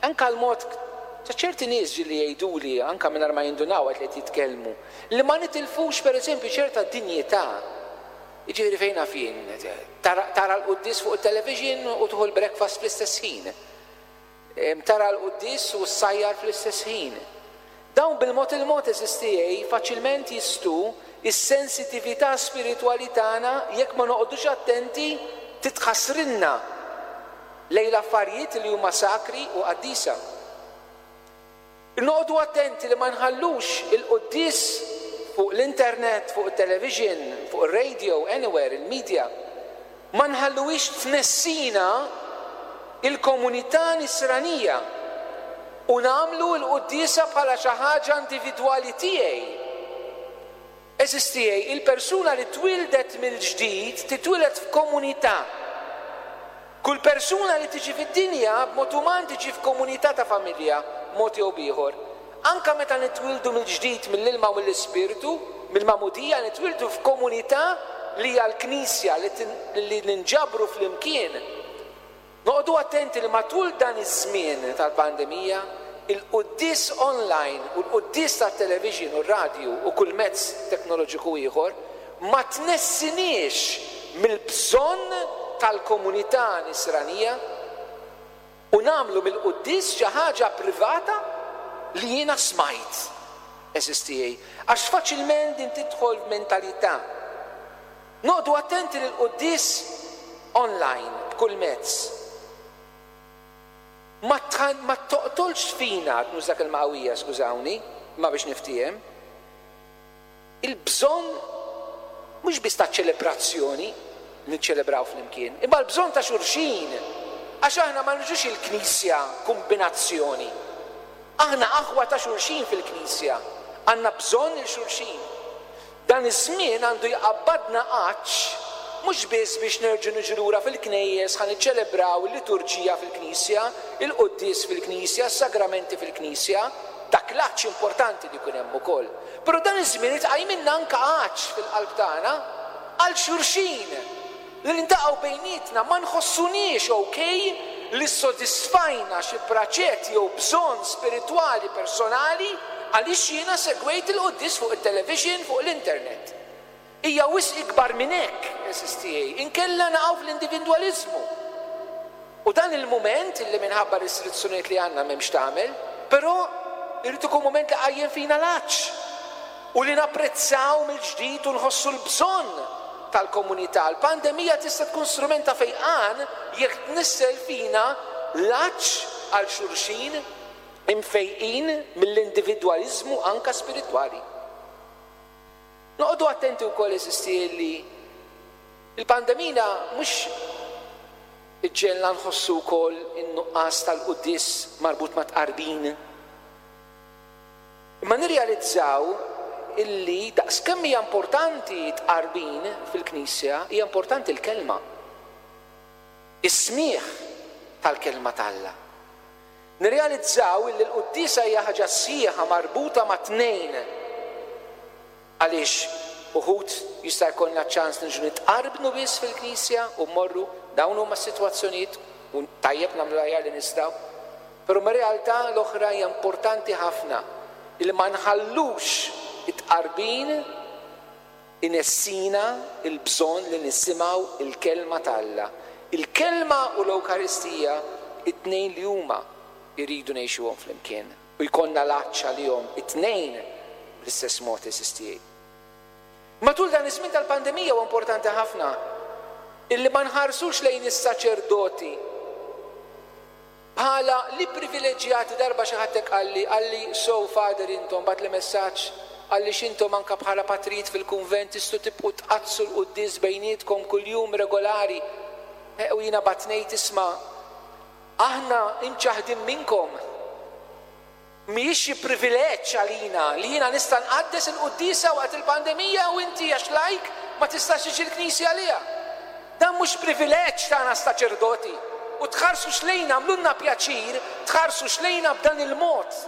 anka l-mod ta' ċerti nies ġieli jgħiduli, anka mingħajr ma jindunaw qed li qed jitkellmu, li ma nitilfux pereżempju ċerta dinjità. Jiġifieri fejn naf jien, tara, tara l-quddies fuq it-television u tieħu l-breakfast fl-istess ħin. Em, tara l-quddies u ssajjar fl-istess ħin. Dawn bil-mod il-mod, għeżież tiegħi, faċilment jistu is-sensitività spiritwali tagħna jekk ma noqogħdux attenti titħassrilna lejn l-affarijiet li huma sakri u qaddisa. Noqogħdu attenti li ma nħallux il-quddies fuq l-internet, fuq il-television, fuq il-radio, anywhere, il-media, ma nħalluhiex tnessina il-komunità nisranija u nagħmlu l-quddiesa bħala xi ħaġa individwali tiegħi. Għeżież tiegħi, il-persuna li twildet mill-ġdid titwieled f'komunità. Kull persuna li tiġi fid-dinja b'mod uman tiġi f'komunità ta' familja, b'mod jew b'ieħor. Anka meta nitwildu mill-ġdid mill-ilma u mill-ispirtu, mill-magħmudija, nitwildu f'komunità li hija l-Knisja li tin-, li ninġabru flimkien. Noqogħdu attenti li matul dan iż-żmien tal-pandemija, il-quddies online u l-quddies tat-television u r-radju u kull mezz teknoloġiku ieħor ma tnessiniex mill-bżonn tal-komunità nisranija u nagħmlu mill-quddies xi ħaġa privata li jiena smajt, għeżież tiegħi, għax faċilment din tidħol f'mentalità. Noqogħdu attenti li l-quddies online b'kull mezz ma tħan-, ma toqtolx fina, nuża kelma qawwija, skużawni, ma biex niftiehem, il-bżonn mhux biss ta' ċelebrazzjoni niċċelebraw flimkien, imma l-bżonn ta' xulxin, għax aħna ma niġux il-Knisja kombinazzjoni. Aħna aħwa ta' xulxin fil-Knisja, għandna bżonn il-xulxin. Dan iż-żmien għandu jqabbadna għatx mhux biss biex nerġgħu niġu lura fil-knejjes ħa niċċelebraw il-liturġija fil-knisja, il-quddies fil-knisja, s-sagramenti fil-knisja, dak l-għatx importanti li jkun hemm ukoll. Però dan iż-żmien iqajmilna anke għatx fil-qalb tagħna għal xulxin li niltaqgħu bejnietna, ma nħossuniex okej li ssodisfajna xi praċett jew bżonn spiritwali personali għaliex jiena segwejt il-quddies fuq it-television, fuq l-internet. Hija wisq ikbar minn hekk, għeżież tiegħi, inkella naqgħu fl-individwaliżmu. U dan il-mument li minħabba restrizzjonijiet li għandna m'hemmx tagħmel, però irid ikun mument li qajjem fina l-għatx u li napprezzaw mill-ġdid u nħossu l-bżonn tal-komunità. L-pandemija tista' tkun strument ta' fejqan jekk tnissel fina l-għatx għal xulxin imfejqin mill-individwaliżmu anka spiritwali. Noqogħdu attenti wkoll, għeżież tiegħi, li l-pandemija mhux iġġegħelna nħossu wkoll in-nuqqas tal-quddies marbut ma' tqarbin. Imma nirrealizzaw illi daqskemm hija importanti tqarbin fil-Knisja, hija importanti l-kelma. Is-smigħ tal-kelma t'Alla. Nirrealizzaw illi l-quddiesa hija ħaġa sħiħa marbuta ma' tnejn. Għaliex uħud jista' jkollna ċans niġu nitqarbnu biss fil-Knisja u mmorru, dawn huma s-sitwazzjonijiet u tajjeb nagħmlu l-aħjar li nistgħu. Però ma' realtà l-oħra hija importanti ħafna illi ma nħallux it-tqarbin inessina il-bżonn li nisimgħu il-kelma t'Alla. Il-kelma u l-Ewkaristija it-tnejn li huma jridu ngħixuhom flimkien u jkollna l-għatx għalihom it-tnejn bl-istess mod, għeżież tiegħi. Matul dan iż-żmien tal-pandemija huwa importanti ħafna illi ma nħarsux lejn is-saċerdoti bħala li privileġġjati. Darba xi ħadd qalli qalli "So Father, intom", bagħatli messaġġ, qalli, "x'intom anka bħala patrijiet fil-kunvent tistgħu tibqgħu tqaddsu l-quddies bejnietkom kuljum regolari." E, u jiena bgħadt ngħid, "Isma', aħna imċaħdin minnkom. Mhijiex xi privileġġ għalina li jiena nista' nqaddes il-quddiesa waqt il-pandemija u inti għax lajk ma tistax tiġi l-knisja għaliha. Dan mhux privileġġ tagħna saċerdoti. U tħarsux lejna, għamlulna pjaċir, tħarsux lejna b'dan il-mod.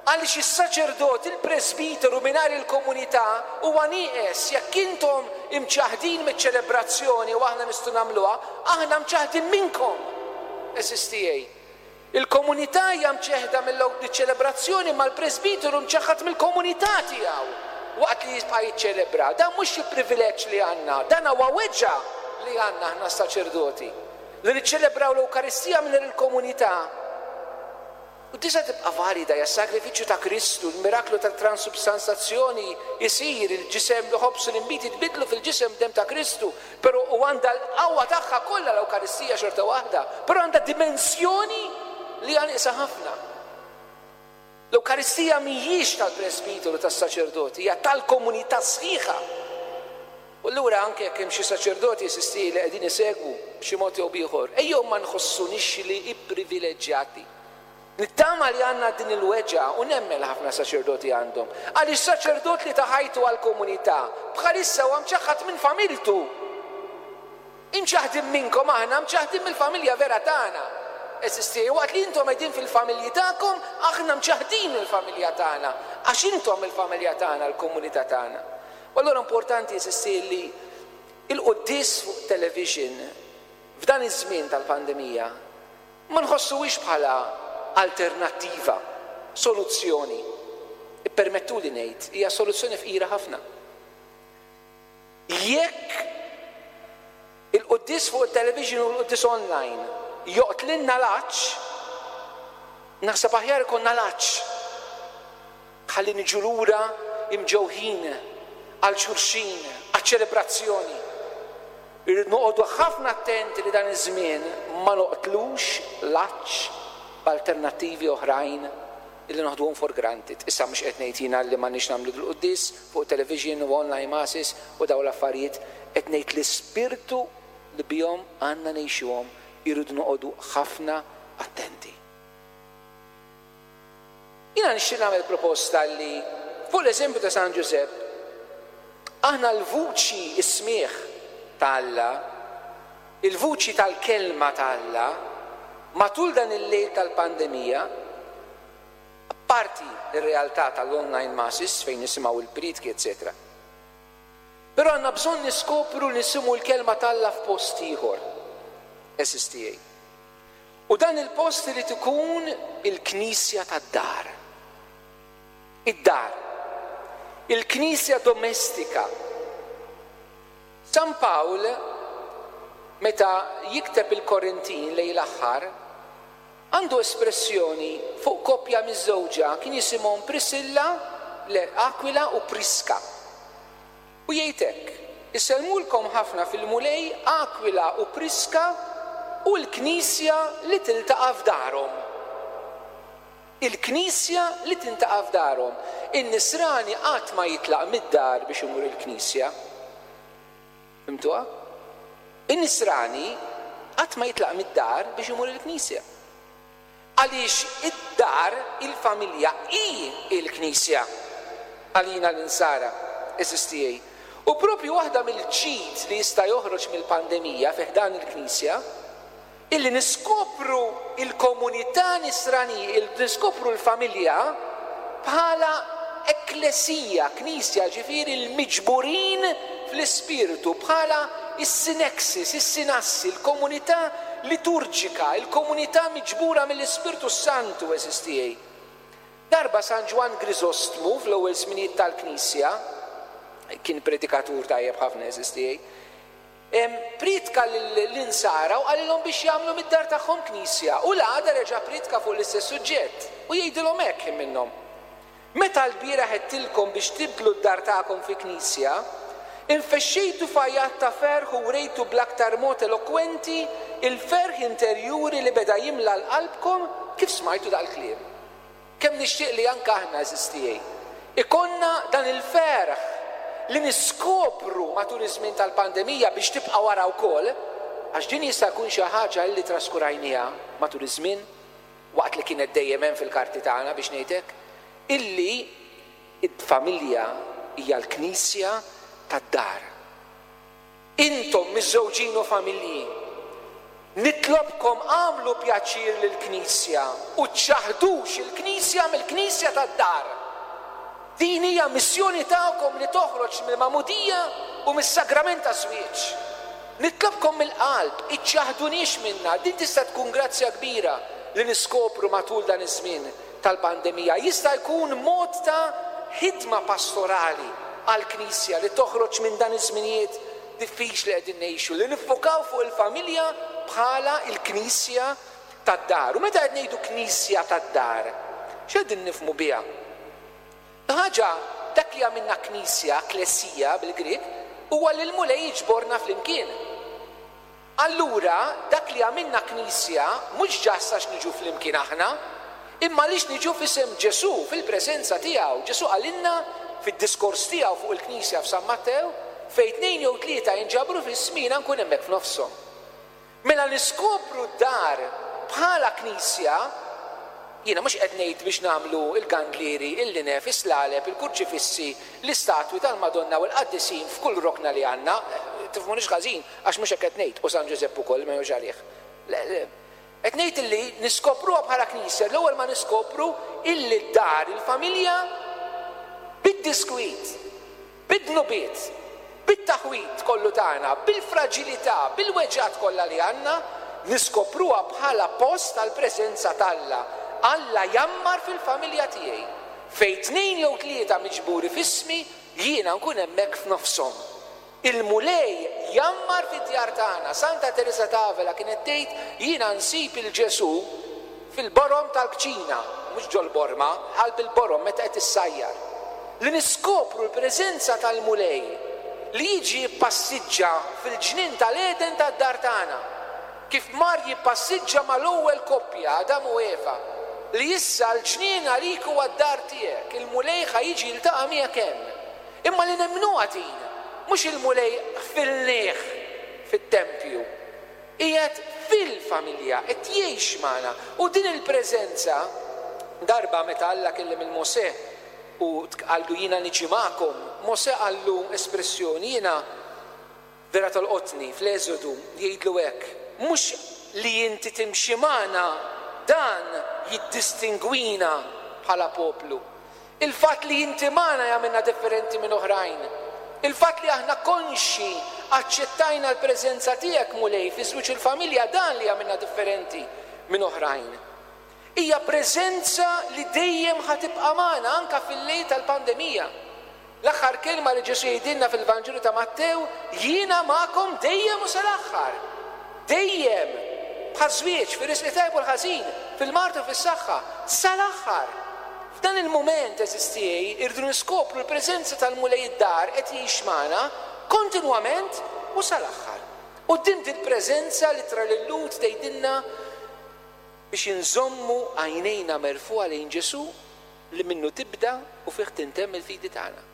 Għaliex is-saċerdot, il-presbiteru mingħajr il-komunità huwa nieqes. Jekk intom imċaħdin miċ-ċelebrazzjoni u aħna nistgħu nagħmluha, aħna mċaħdin minnkom. Għeżież tiegħi. Il-komunità hija mċeħda mill-ċelebrazzjoni, ma l-presbiteru mċaħħad mill-komunità tiegħu waqt li jibqa' jiċċelebra. Dan mhux xi privileġġ li għandna, dan huwa weġgħa li għandna aħna saċerdoti. Li niċċelebraw l-Ewkaristija minn il-komunità. U tista' tibqa' valida, hija sagrifiċċju ta' Kristu, il-miraklu tat-transubstanzazzjoni jsir, il-ġisem li ħobż u l-inbid jitbidlu fil-ġisem demm ta' Kristu, però u għandha l-qawwa tagħha kollha l-Ewkaristija xorta waħda, però għandha dimensjoni li hija nieqsa ħafna. L-Ewkaristija mhijiex tal-presbiteru, tas-saċerdoti, hija tal-komunità sħiħa. U allura anke jekk hemm xi saċerdoti, għeżież tiegħi, li qegħdin isegwu b'xi mod jew b'ieħor, ejjew ma nħossunix li ipprivileġġjati. Nittama li għandna din il-weġgħa u nemmen ħafna saċerdoti għandhom. Għaliex saċerdot li ta ħajtu għal-komunità, bħalissa huwa mċaħħad minn familtu. Imċaħdin minnkom aħna, mċaħdin mill-familja vera tagħna. Għeżież tiegħi, waqt li intom qegħdin fil-familji tagħkom, aħna mċaħdin mill-familja tagħna, għax intom il-familja tagħna, l-komunità tagħna. U allura importanti, għeżież tiegħi, li il-quddies fuq television f'dan iż-żmien tal-pandemija ma nħossuwix bħala alternattiva, soluzzjoni. Ippermettu li ngħid, hija soluzzjoni fqira ħafna. Jekk il-quddies fuq il-television u l-quddies online joqtlilna l-għatx, naħseb aħjar ikollna l-għatx. Ħalli niġu lura imġewħin għal xulxin, għal ċelebrazzjoni. Irrid noqogħdu ħafna attenti li dan iż-żmien ma noqtlux l-għatx b'alternattivi oħrajn illi noħduhom for granted. Issa mhux qed ngħid jiena li m'għandniex nagħmlu l-quddies fuq television u online masses u dawn l-affarijiet, qed ngħid l-ispirtu li bihom għandna ngħixuhom, irridu noqogħdu ħafna attenti. Jiena nixtieq nagħmel proposta li fuq l-eżempju ta' San Giuseppe aħna l-vuċi, is-smigħ ta' Alla, il-vuċi tal-kelma ta' Alla, matul dan il-lejl tal-pandemija, apparti ir-realtà tal-online masses fejn nisimgħu il-prietki, eccetera. Però għandna bżonn niskopru nisimgħu l-kelma t'Alla f'post ieħor. S S T A. U dan il-post irid ikun il-knisja tad-dar. Id-dar. Il-knisja domestika. San Pawl, meta jikteb il-Korintin lejn l-aħħar, għandu espressjoni fuq koppja miżżewġa, kien jisimhom Priscilla, le, Aquila u Priska. U jgħid hekk: "Isellmulkom ħafna fil-Mulej Aquila u Priska u l-knisja li tiltaqa' f'darhom." Il-knisja li tiltaqa' f'darhom. In-nisrani qatt ma jitlaq mid-dar biex imur il-knisja. Fhimtuha? In-nisrani qatt ma jitlaq mid-dar biex imur il-knisja. Għaliex id-dar, il-familja, hi il-knisja għalina l-insara, għeżież tiegħi. U propju waħda mill-ġid li jista' joħroġ mill-pandemija fi ħdan il-knisja, illi niskopru il-komunità nisrani, niskopru l-familja bħala ekklesija, knisja, ġifieri l-miġburin fl-ispirtu, bħala is-sinexis, is-sinassi, il-komunità liturġika, il-komunità miġbura mill-Ispirtu Santu, għeżież tiegħi. Darba San Ġwann Griżostmu fl-ewwel żminijiet tal-Knisja, kien predikatur tajjeb ħafna, għeżież tiegħi, prietka l-insara u qalilhom biex jagħmlu mid-dar tagħhom knisja, u l-għada reġa' prietka fuq l-istess suġġett u jgħidilhom hekk minnhom: "Meta l-bieraħ għedtilkom biex tibdlu d-dar tagħkom fi knisja, infexxejtu f'għajat ta' ferħ u wrejtu bl-aktar mod elokwenti il-ferħ interjuri li beda jimla l-qalbkom kif smajtu dal-kliem." Kemm nixtieq li anke aħna, għeżież tiegħi, ikollna dan il-ferħ li niskopru matul iż-żmien tal-pandemija biex tibqa' wara wkoll, għax din jista' jkun xi ħaġa li traskurajniha matul iż-żmien waqt li kienet dejjem hemm fil-karti tagħna, biex ngħidlek, illi id-familja hija l-knisja tad-dar. Intom miżżewġin u familji, nitlobkom għamlu pjaċir lill-knisja u ċċaħdux il-knisja mill-knisja tad-dar. Din hija missjoni tagħkom li toħroġ mill-magħmudija u mis-sagrament taż-żwieġ. Nitlobkom mill-qalb, iċċaħduniex minna. Din tista' tkun grazzja kbira li niskopru matul dan iż-żmien tal-pandemija. Jista' jkun mod ta' ħidma pastorali għall-knisja li toħroġ minn dan iż-żminijiet diffiċli qegħdin ngħixu, li niffokaw fuq il-familja bħala il-knisja tad-dar. U meta qed ngħidu knisja tad-dar, x'qegħdin nifhmu biha? Ħaġa, dak li għamilna knisja, klesija bil-Grik, huwa li l-Mulej jiġborna flimkien. Allura, dak li għamilna knisja mhux ġast għax niġu flimkien aħna, imma għaliex niġu f'isem Ġesù, fil-preżenza tiegħu. Ġesù qalilna fid-diskors tiegħu fuq il-knisja f'San Mattew, fejn tnejn jew tlieta jinġabru f'ismi, jiena nkun hemmhekk f'nofshom. Mela niskopru d-dar bħala knisja, jiena mhux qed ngħid biex nagħmlu il-gandlieri, il-linef, is-slaleb, il-kurċifissi, l-istatwi tal-Madonna u l-qaddisin f'kull rokna li għandna, tifhmunix ħażin, għax mhux hekk qed ngħid, u San Ġużepp ukoll ma jgħux għalih. Le, le. Qed ngħid illi niskopruha bħala knisja, l-ewwel ma niskopru illi d-dar, il-familja, bid-diskwit, bid-dnubiet, bit-taħwit kollu tagħna, bil-fraġilità, bil-weġgħat kollha li għandna, niskopruha bħala post tal-preżenza t'Alla. Alla jammar fil-familja tiegħi. Fejn tnejn jew tlieta miġburi f'ismi, jiena nkun hemmhekk f'nofshom. Il-Mulej jammar fid-djar tagħna. Santa Teresa t'Avila kienet tgħid, jiena nsib il-Ġesù fil-borom tal-kċina, mhux ġol-borma, qalb il-borom meta qed issajjar. Li niskopru l-preżenza tal-Mulej li jiġi jippassiġġa fil-ġnien tal-Eden tad-dar tagħna. Kif mar jippassiġġa mal-ewwel koppja, Adam u Eva, li issa l-ġnien għalik huwa d-dar tiegħek, il-Mulej ħa jiġi jiltaqa' miegħek hemm. Imma li nemmnuha din, mhux il-Mulej ħfilnieh fit-tempju, qiegħed fil-familja, qed jgħix magħna. U din il-preżenza, darba meta Alla kellem il-Mosè u qallu jiena niġi magħkom, Mosè qallu espressjoni, jiena Vera tolqotni fl-Eżodu jgħidlu hekk, mhux li inti timxi magħna dan jiddistingwina bħala poplu. Il-fatt li inti magħna jagħmilna differenti minn oħrajn. Il-fatt li aħna konxi aċċettajna l-preżenza tiegħek, Mulej, fi żwieġ il-familja, dan li jagħmilna differenti minn oħrajn. Hija preżenza li dejjem ħa tibqa' magħna anke fil-lejl tal-pandemija. L-aħħar kelma li Ġesù jgħidilna fil-Vanġelu ta' Mattew, jiena magħkom dejjem u sal-aħħar. Dejjem, bħaż-żwieġ, fir-risq tajjeb u l-ħażin, fil-mard u fis-saħħa, sal-aħħar. F'dan il-mument, għeżież tiegħi, irridu niskopru l-preżenza tal-Mulej id-dar qed jgħix magħna kontinwament u sal-aħħar. U din il-preżenza li tra lil-Lhud tgħidilna biex inżommu għajnejna merfugħa lejn Ġesù li minnu tibda u fih tintemm il-fidi tagħna.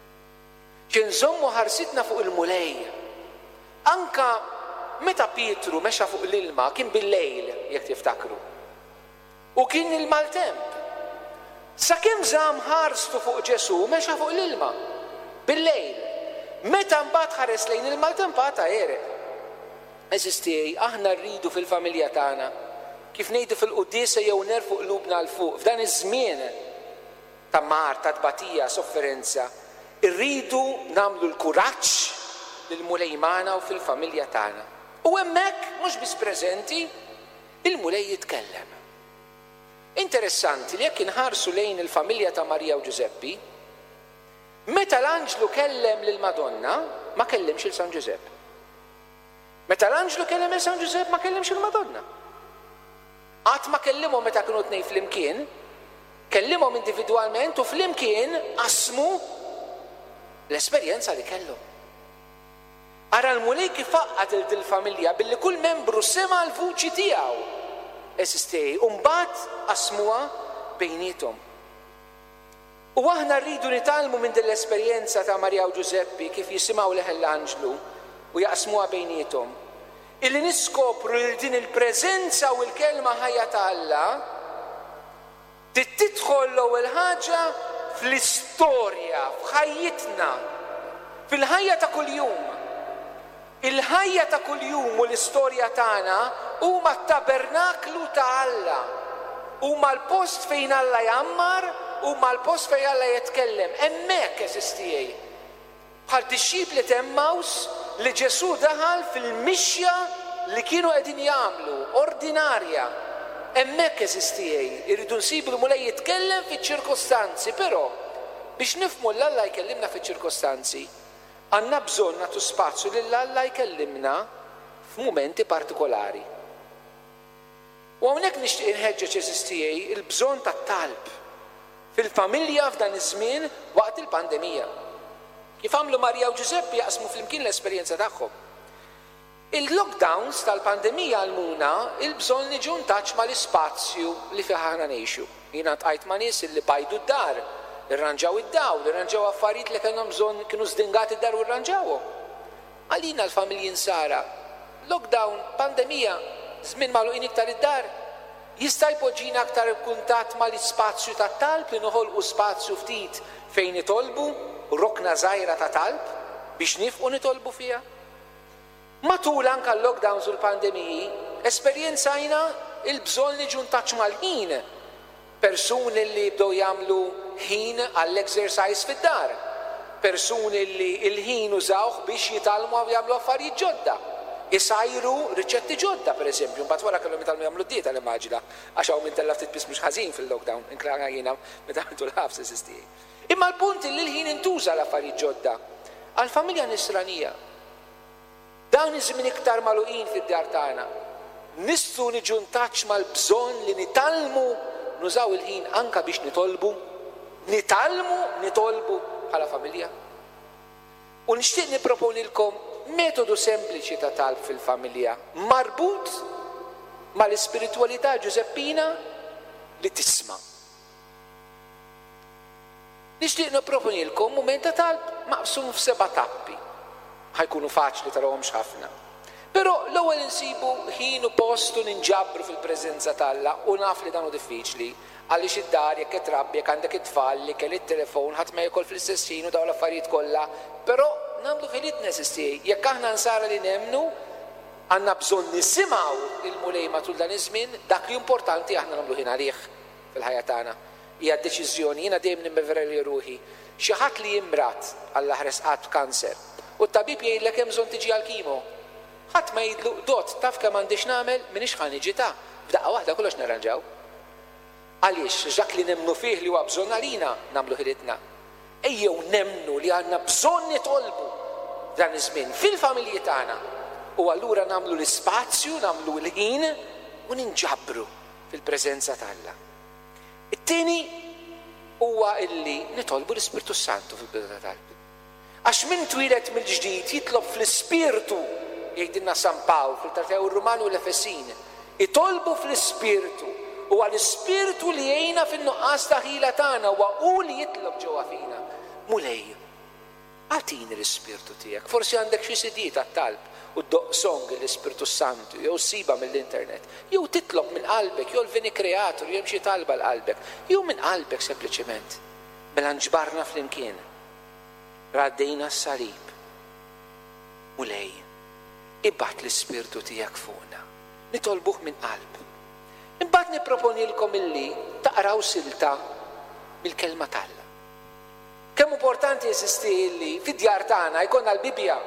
Nżommu ħarsitna fuq il-Mulej. Anka meta Pietru mexa fuq l-ilma kien bil-lejl, jekk tiftakru. U kien il-maltemp. Sakemm żamm ħarstu fuq Ġesù mexa fuq l-ilma bil-lejl. Meta mbagħad ħares lejn il-maltempata għereq. Għeżież tiegħi, aħna rridu fil-familja tagħna, kif ngħidu fil-quddiesa jew nerfgħu qlubna 'l fuq, f'dan iż-żmien ta' mar, ta' tbatija, sofferenza, irridu nagħmlu l-kuraġġ lil Mulej magħna u fil-familja tagħna. U hemmhekk mhux biss preżenti, il-Mulej jitkellem. Interessanti li jekk inħarsu lejn il-familja ta' Marija u Ġużeppi, meta l-anġlu kellem lil Madonna, ma kellimx il San Ġużepp. Meta l-anġlu kellem il San Ġużepp, ma kellimx il-Madonna. Qatt ma kellimhom meta kienu tnejn flimkien, kellimhom individwalment u flimkien qasmu l-esperjenza li kellhom. Ara l-Mulej kif għaqqad il dil-familja billi kull membru sema l-vuċi tiegħu. Għeżież tiegħi, u mbagħad qasmuha bejniethom. U aħna rridu nitgħallmu minn din l-esperjenza ta' Marija u Ġużeppi kif jisimgħu leħen l-anġlu u jaqsmuha bejniethom. Illi niskopru li din il-preżenza u l-kelma ħajja ta' Alla tidħol l-ewwel ħaġa fl-istorja, f'ħajjitna, fil-ħajja ta' kuljum. Il-ħajja ta' kuljum u l-istorja tagħna huma t-tabernaklu ta' Alla. Huma l-post fejn Alla jgħammar, huma l-post fejn Alla jitkellem. Hemmhekk, għeżież tiegħi. Bħal dixxipli t'Emmaus li Ġesù daħal fil-mixja li kienu qegħdin jagħmlu, ordinarja. Hemmhekk, għeżież tiegħi, irridu nsibu l-Mulej jitkellem fiċ-ċirkostanzi, però biex nifhmu l Alla jkellimna fiċ-ċirkostanzi, għandna bżonn nagħtu spazju lil Alla jkellimna f'mumenti partikolari. U hawnhekk nixtieq inħeġġeġ, għeżież tiegħi, il-bżonn tat-talb fil-familja f'dan iż-żmien waqt il-pandemija. Kif għamlu Marija u Ġużeppi jaqsmu flimkien l-esperjenza tagħhom. Il-lockdowns tal-pandemija għallmuna il-bżonn niġu ntaċ mal-ispazju li fih aħna ngħixu. Jiena ltqajt ma' nies li bajdu d-dar, irranġaw id-dawl, irranġaw affarijiet li kellhom bżonn kienu żdingati d-dar u rranġawhom. Għalina l-familji nsara, lockdown, pandemija, żmien magħluqin iktar id-dar, jista' jpoġġina aktar kuntatt mal-ispazju tat-talb li noħolqu spazju ftit fejn nitolbu, rokna żgħira ta' talb biex nifqu nitolbu fiha. Matul anka l-lockdowns u l-pandemiji, esperjenzajna il-bżonn li niġu ntaċ mal-ħin. Persuni li bdew jagħmlu ħin għall-exercise fid-dar. Persuni li il-ħin użawh biex jitgħallmu u jagħmlu affarijiet ġodda. Isajru riċetti ġodda, per eżempju, mbagħad wara kellhom jitgħallmu jagħmlu dieta l-immaġina, għax hawn min tella' ftit piż mhux ħażin fil-lockdown, inklana jiena meta għamiltu l-ħabs eżisti. Imma l-punt li l-ħin intuża l-affarijiet ġodda għall-familja nisranija. Dawn iż-żmien iktar magħluqin fid-dar tagħna. Nistgħu niġu ntaċ mal-bżonn li nitgħallmu nużaw il-ħin anka biex nitolbu, nitgħallmu nitolbu bħala familja. U nixtieq nipproponilkom metodu sempliċi ta' talb fil-familja marbut mal-ispiritwalità Ġużeppina li tisma'. Nixtieq nipproponilkom mument ta' talb maqsum f'seba' tappi. Ħa jkunu faċli tarawhomx ħafna. Però l-ewwel insibu ħin u post u ninġabru fil-preżenza t'Alla, u naf li dan hu diffiċli għaliex id-dar jekk qed trabbi, jekk għandek it-tfal li kelli it-telefon, ħadd ma jiekol fl-istess ħin u dawn l-affarijiet kollha, però nagħmlu ħilitna, għeżież tiegħi. Jekk aħna nsara li nemmnu, għandna bżonn nisimgħu il-Mulej matul dan iż-żmien, dak li importanti aħna nagħmlu ħin għalih fil-ħajja tagħna. Hija deċiżjoni, jiena dejjem nimmeverja ruħi. Xi ħadd li jimrad, Alla ħares qatt, b'kanser, u t-tabib jgħidlek hemm bżonn tiġi għal chemo. Ħadd ma jgħidlu, "Dott, taf kemm għandix nagħmel, m'iniex ħa niġi ta', f'daqqa waħda kollox nirranġaw." Għaliex dak li nemmnu fih li huwa bżonn għalina nagħmlu ħilitna. Ejjew nemmnu li għandna bżonn nitolbu dan iż-żmien fil-familji tagħna. U allura nagħmlu l-ispazju, nagħmlu l-ħin u ninġabru fil-preżenza t'Alla. It-tieni huwa illi nitolbu l-Ispirtu Santu fil-bidu ta' talb. Għax min twieled mill-ġdid jitlob fl-Ispirtu, jgħidilna San Pawl fl-Ittra tiegħu Rumani u l-Efesin. Itolbu fl-Ispirtu. U għall-Ispirtu li jgħinna fin-nuqqas ta' ħila tagħna, huwa hu li jitlob ġewwa fina. Mulej, agħtini l-Ispirtu tiegħek. Forsi għandek xi C D tat-talb u ddoqq song l-Ispirtu Santu, jew ssibha mill-internet, jew titlob minn qalbek, jew l-Veni Creator, jew xi talba l-qalbek, jew minn qalbek sempliċement. Mela nġbarna flimkien. Raddejna s-salib. Mulej, ibgħat l-Ispirtu tiegħek fuqna. Nitolbuh minn qalb. Imbagħad nipproponilkom illi taqraw silta mill-kelma t'Alla. Kemm importanti, għeżież tiegħi, illi fid-djar tagħna jkollna l-Bibja.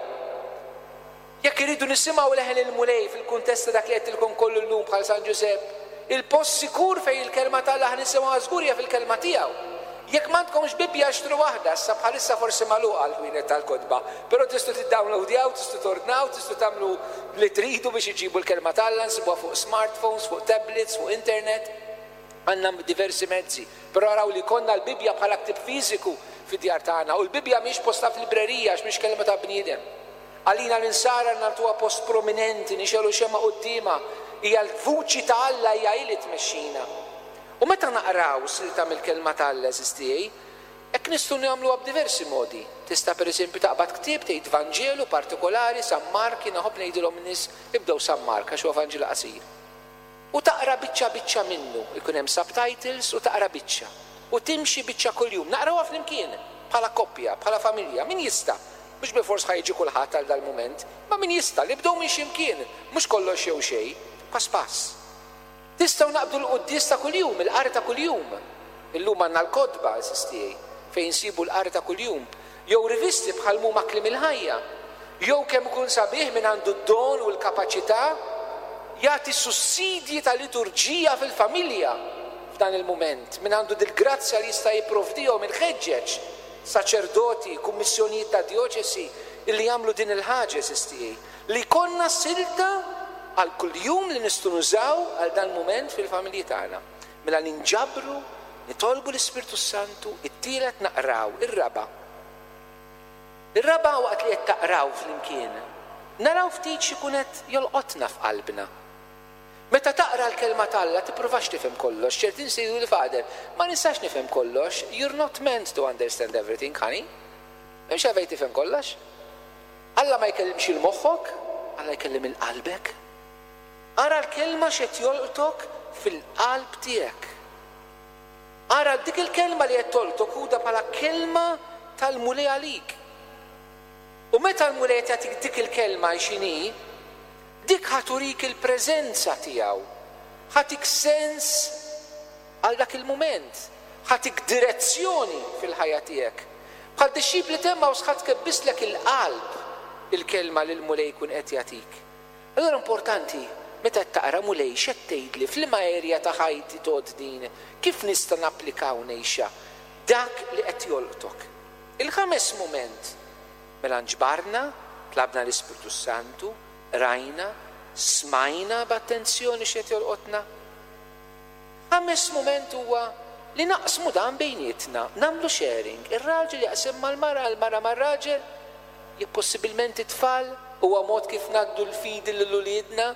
Jekk iridu nisimgħu leħen il-Mulej fil-kuntest ta' dak li għedtilkom kollu llum bħal San Ġużepp, il-post sikur fejn il-kelma t'Alla ħa nisimgħu żgur hija fil-kelma tiegħu. Jekk m'għandkomx Bibja, xtru waħda, issa bħalissa forsi magħluqa l-ħwienet tal-kotba, però tistgħu tiddownloadjaw, tistgħu tordnaw, tistgħu tagħmlu li tridu biex iġibu l-kelma t'Alla, nsibuha fuq smartphones, fuq tablets, fuq internet. Għandna diversi mezzi. Però araw li jkollna l-Bibja bħala ktib fiżiku fid-djar tagħna u l-Bibja mhix postha fil-librerija għax mhix kelma ta' bniedem. Għalina l-insara nagħtuha post prominenti, nixegħlu xemgħa quddiemha, hija l-vuċi ta' Alla, hija li tmexxina. U meta naqraw silta mill-kelma ta' Alla, għeżież tiegħi, hekk nistgħu nagħmluha b'diversi modi. Tista' pereżempju taqbad ktieb, tgħid Vanġelu partikolari, San Mark, jiena nħobb ngħidilhom nies ibdew San Mark għax huwa Vanġelu qasir. U taqra biċċa biċċa minnu, ikun hemm subtitles u taqra biċċa. U timxi biċċa kuljum, naqrawha flimkien, bħala koppja, bħala familja, min jista'. Mhux bilfors ħa jiġi kulħadd għal dal-mument, ma min jista' li bdew minn ximkien, mhux kollox jew xejn, pass pass. Tistgħu naqbdu l-quddies ta' kuljum, il-qari ta' kuljum. Illum għandna l-kotba, għeżież tiegħi, fejn insibu l-qari ta' kuljum. Jew rivisti bħal muma Kliem il-Ħajja. Jew kemm ikun sabiħ min għandu d-don u l-kapaċità jagħti sussidji ta' liturġija fil-familja f'dan il-mument. Min għandu dil-grazzja li jista' jipprovdihom, inħeġġeġ saċerdoti, kummissjonijiet ta' dioċesi illi jagħmlu din il-ħaġa, għeżież tiegħi. Li jkollna silta għal kuljum li nistgħu nużaw għal dan mument fil-familji tagħna. Mela ninġabru, nitolbu l-Ispirtu Santu, it-tielet naqraw, ir-raba'. Ir-raba' waqt li qed taqraw flimkien, naraw ftit x'ikun qed jolqotna f'qalbna. Meta taqra l-kelma t'Alla tippruvax tifhem kollox, ċerti nies jgħidu li, "Father, ma nistax nifhem kollox." You're not meant to understand everything, honey. M'hemmx għalfejn tifhem kollox. Alla ma jkellimx il-moħħok, Alla jkellem il-qalbek. Ara l-kelma x'qed jolqtok fil-qalb tiegħek. Ara dik il-kelma li qed tolqtok ħudha bħala kelma tal-Mulej għalik. U meta l-Mulej qed jagħtik dik il-kelma x'inhi, dik ħa turik il-preżenza tiegħu. Ħa ttik sens għal dak il-mument. Ħa ttik direzzjoni fil-ħajja tiegħek. Bħal dixxipli t'Emmaws, ħa tkebbislek il-qalb il-kelma li l-Mulej jkun qed jagħtik. Allora importanti, meta taqra, "Mulej, x'qed tgħidli, f'liema erja ta' ħajti tgħodd din, kif nista' napplika u ngħixha?" Dak li qed jolqtok. Il-ħames mument, mela nġbarna, tlabna l-Ispirtu Santu, rajna, smajna b'attenzjoni x'qed jolqotna. Ħames mument huwa li naqsmu dan bejnietna, nagħmlu sharing, ir-raġel jaqsam mal-mara, il-mara mar-raġel, jekk possibilment it-tfal, huwa mod kif ngħaddu l-fidi lil uliedna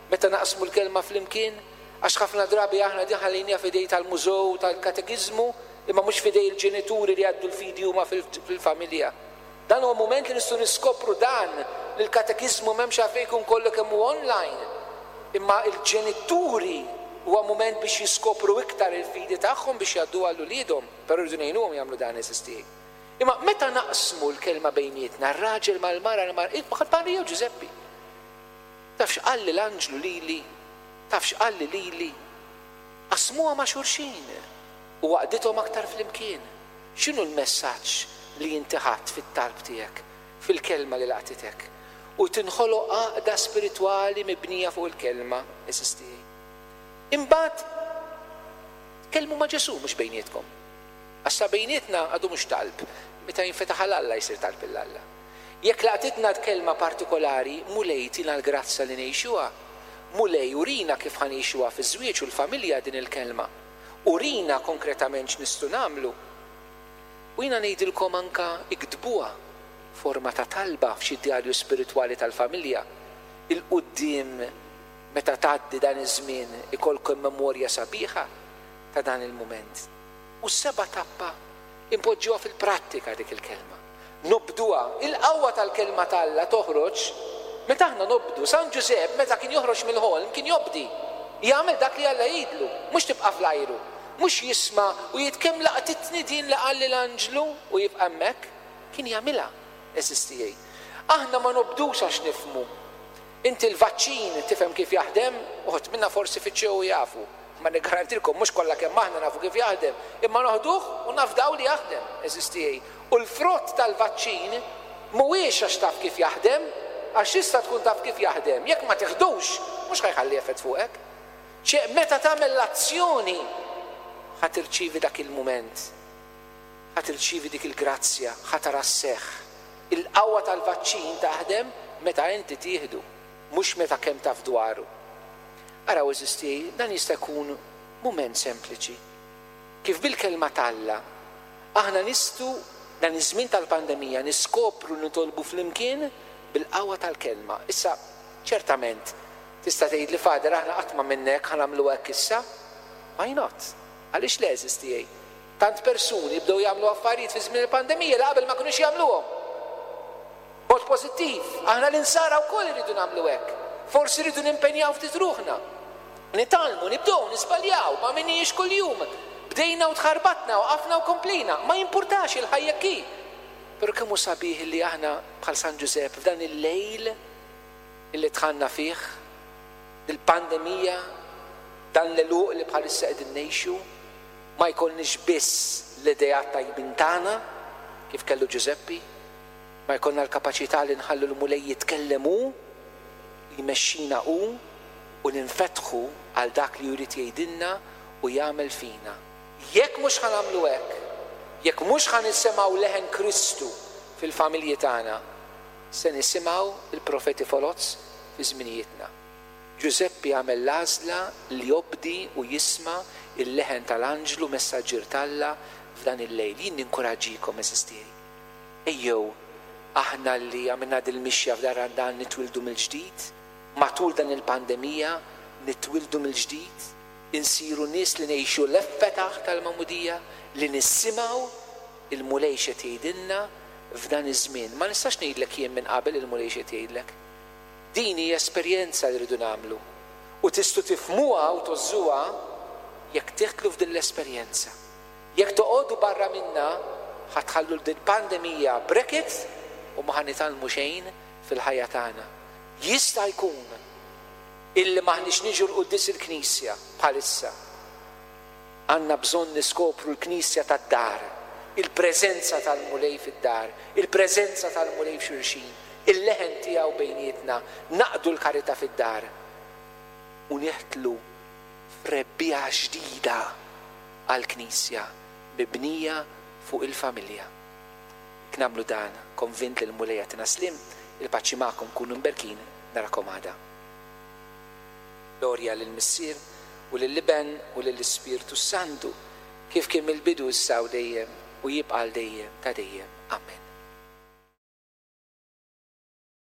meta naqsmu l-kelma flimkien, għax ħafna drabi aħna din ħallejniha f'idejn tal-mużew, tal-katekiżmu, imma mhux f'idejn il-ġenituri li jgħaddu l-fidi huma fil-familja. Dan huwa mument li nistgħu niskopru dan li l-katekiżmu m'hemmx għalfejn jkun kollu kemm hu online. Imma il-ġenituri huwa mument biex jiskopru iktar il-fidi tagħhom biex jgħaddu għal uliedhom, però rridu ngħinuhom jagħmlu dan, għeżież tiegħi. Imma meta naqsmu l-kelma bejnietna, r-raġel mal-mara, l-mara, bħal Marija u Ġużeppi. Taf x'qalli l-anġlu lili, taf x'qalli lili. Qasmuha ma' xulxin u għaqqdithom aktar flimkien. X'inhu l-messaġġ li inti ħadt fit-talb tiegħek, fil-kelma li laqtitek? U tinħoloq għaqda spiritwali mibnija fuq il-kelma, għeżież tiegħi. Imbagħad tkellmu ma' Ġesù, mhux bejnietkom. Għax sa bejnietna għadu mhux talb, meta jinfetaħ għal Alla jsir talb 'il Alla. Jekk laqtitna kelma partikolari, Mulej tina l-grazzja li ngħixuha. Mulej urina kif ħa ngħixuha fiż-żwieġ u l-familja din il-kelma. Urina konkretament x'nistgħu nagħmlu. U jiena ngħidilkom anka iktbuha forma ta' talba f'xi djarju spiritwali tal-familja. 'Il quddiem meta tgħaddi dan iż-żmien ikollkom memorja sabiħa ta' dan il-mument. U s-seba' tappa impoġġuha fil-prattika dik il-kelma. Nobduha. Il-qawwa tal-kelma t'Alla toħroġ meta aħna nobdu. San Ġużepp meta kien joħroġ mill-ħolm kien jobdi. Jagħmel dak li Alla jgħidlu, mhux tibqa' fl-ajru. Mhux jisma' u jgħid kemm laqtitni din li qalli l-anġlu u jibqa' hemmhekk. Kien jagħmilha, għeżież tiegħi. Aħna ma nobdux għax nifhmu. Inti l-vaċċin tifhem kif jaħdem? Uħud minna forsi fittxew u jafu. Ma niggarantilkom mhux kollha kemm aħna nafu kif jaħdem, imma noħduh u nafdaw li jaħdem, għeżież tiegħi. U l-frott tal-vaċċin mhuwiex għax taf kif jaħdem, għax tista' tkun taf kif jaħdem, jekk ma tiħdux mhux ħa jħalli effett fuqek. Ċe meta tagħmel l-azzjoni ħa tirċievi dak il-mument, ħa tirċievi dik il-grazzja, ħa tara sseħħ. Il-qawwa tal-vaċċin taħdem meta inti tieħdu, mhux meta kemm taf dwaru. Araw, għeżież tiegħi, dan jista' jkun mument sempliċi. Kif bil-kelma t'Alla aħna nistgħu dan iż-żmien tal-pandemija niskopru nitolbu flimkien bil-qawwa tal-kelma. Issa, ċertament, tista' tgħid li Father aħna qatt ma minnek ħa nagħmlu hekk issa. Why not? Għaliex le, għeżież tiegħi? Tant persuni bdew jagħmlu affarijiet fi żmien il-pandemija li qabel ma kinux jagħmluhom. Mod pożittiv, aħna l-insara wkoll irridu nagħmlu hekk. Forsi rridu nimpenjaw ftit ruħna. Nitgħallmu, nibdew, nisbaljaw, ma minniex kuljum. Bdejna u tħarbatna, waqafna u komplejna. Ma jimpurtax, il-ħajja ki. Però kemm hu sabiħ li aħna bħal San Ġużepp f'dan il-lejl illi dħalna fih, il-pandemija, dan l-għeluq li bħalissa qegħdin ngħixu, ma jkollniex biss l-ideat tajbin tagħna kif kellu Ġużeppi, ma jkollna l-kapaċità li nħallu l-Mulej jitkellem hu, jmexxina hu, u ninfetħu għal dak li jrid jgħidilna u jagħmel fina. Jekk mhux ħa nagħmlu hekk, jekk mhux ħa nisimgħu leħen Kristu fil-familji tagħna, se nisimgħu il-profeti foloz fi żminijietna. Ġużeppi għamel l-għażla li jobdi u jisma' il-leħen tal-anġlu messaġġier t'Alla f'dan il-lejl. Jien ninkoraġġikom, għeżież tiegħi. Ejjew aħna li għamilna dil-mixja f'dan Randan nitwildu mill-ġdid, matul dan il-pandemija nitwildu mill-ġdid, insiru nies li ngħixu l-effetaħ tal-magħmudija, li nisimgħu il-Mulej x'qed jgħidilna f'dan iż-żmien. Ma nistax ngħidlek jien minn qabel il-Mulej x'qed jgħidlek. Din hija esperjenza li rridu nagħmlu u tistgħu tifhmuha u tgħożżuha jekk tidħlu f'din l-esperjenza. Jekk toqogħdu barra minna, ħa tħallu din pandemija bracket u ma ħa nitgħallmu xejn fil-ħajja tagħna. Jista' jkun illi m'aħniex niġu l-quddies il-Knisja bħalissa. Għandna bżonn niskopru l-Knisja tad-dar, il-preżenza tal-Mulej fid-dar, il-preżenza tal-Mulej f'xulxin, il-leħen tiegħu bejnietna, naqdu l-karità fid-dar u neħtlu f'rebbiegħa ġdida għall-Knisja mibnija fuq il-familja. Jekk nagħmlu dan, konvint li l-Mulej jagħtina sliem, il-paċi magħkom, kunu mberkin, narakom għada. Glorja lill-Missier u lill-Iben u lill-Ispirtu Santu, kif kien mill-bidu issa u dejjem u jibqa' għal dejjem ta' dejjem. Amen.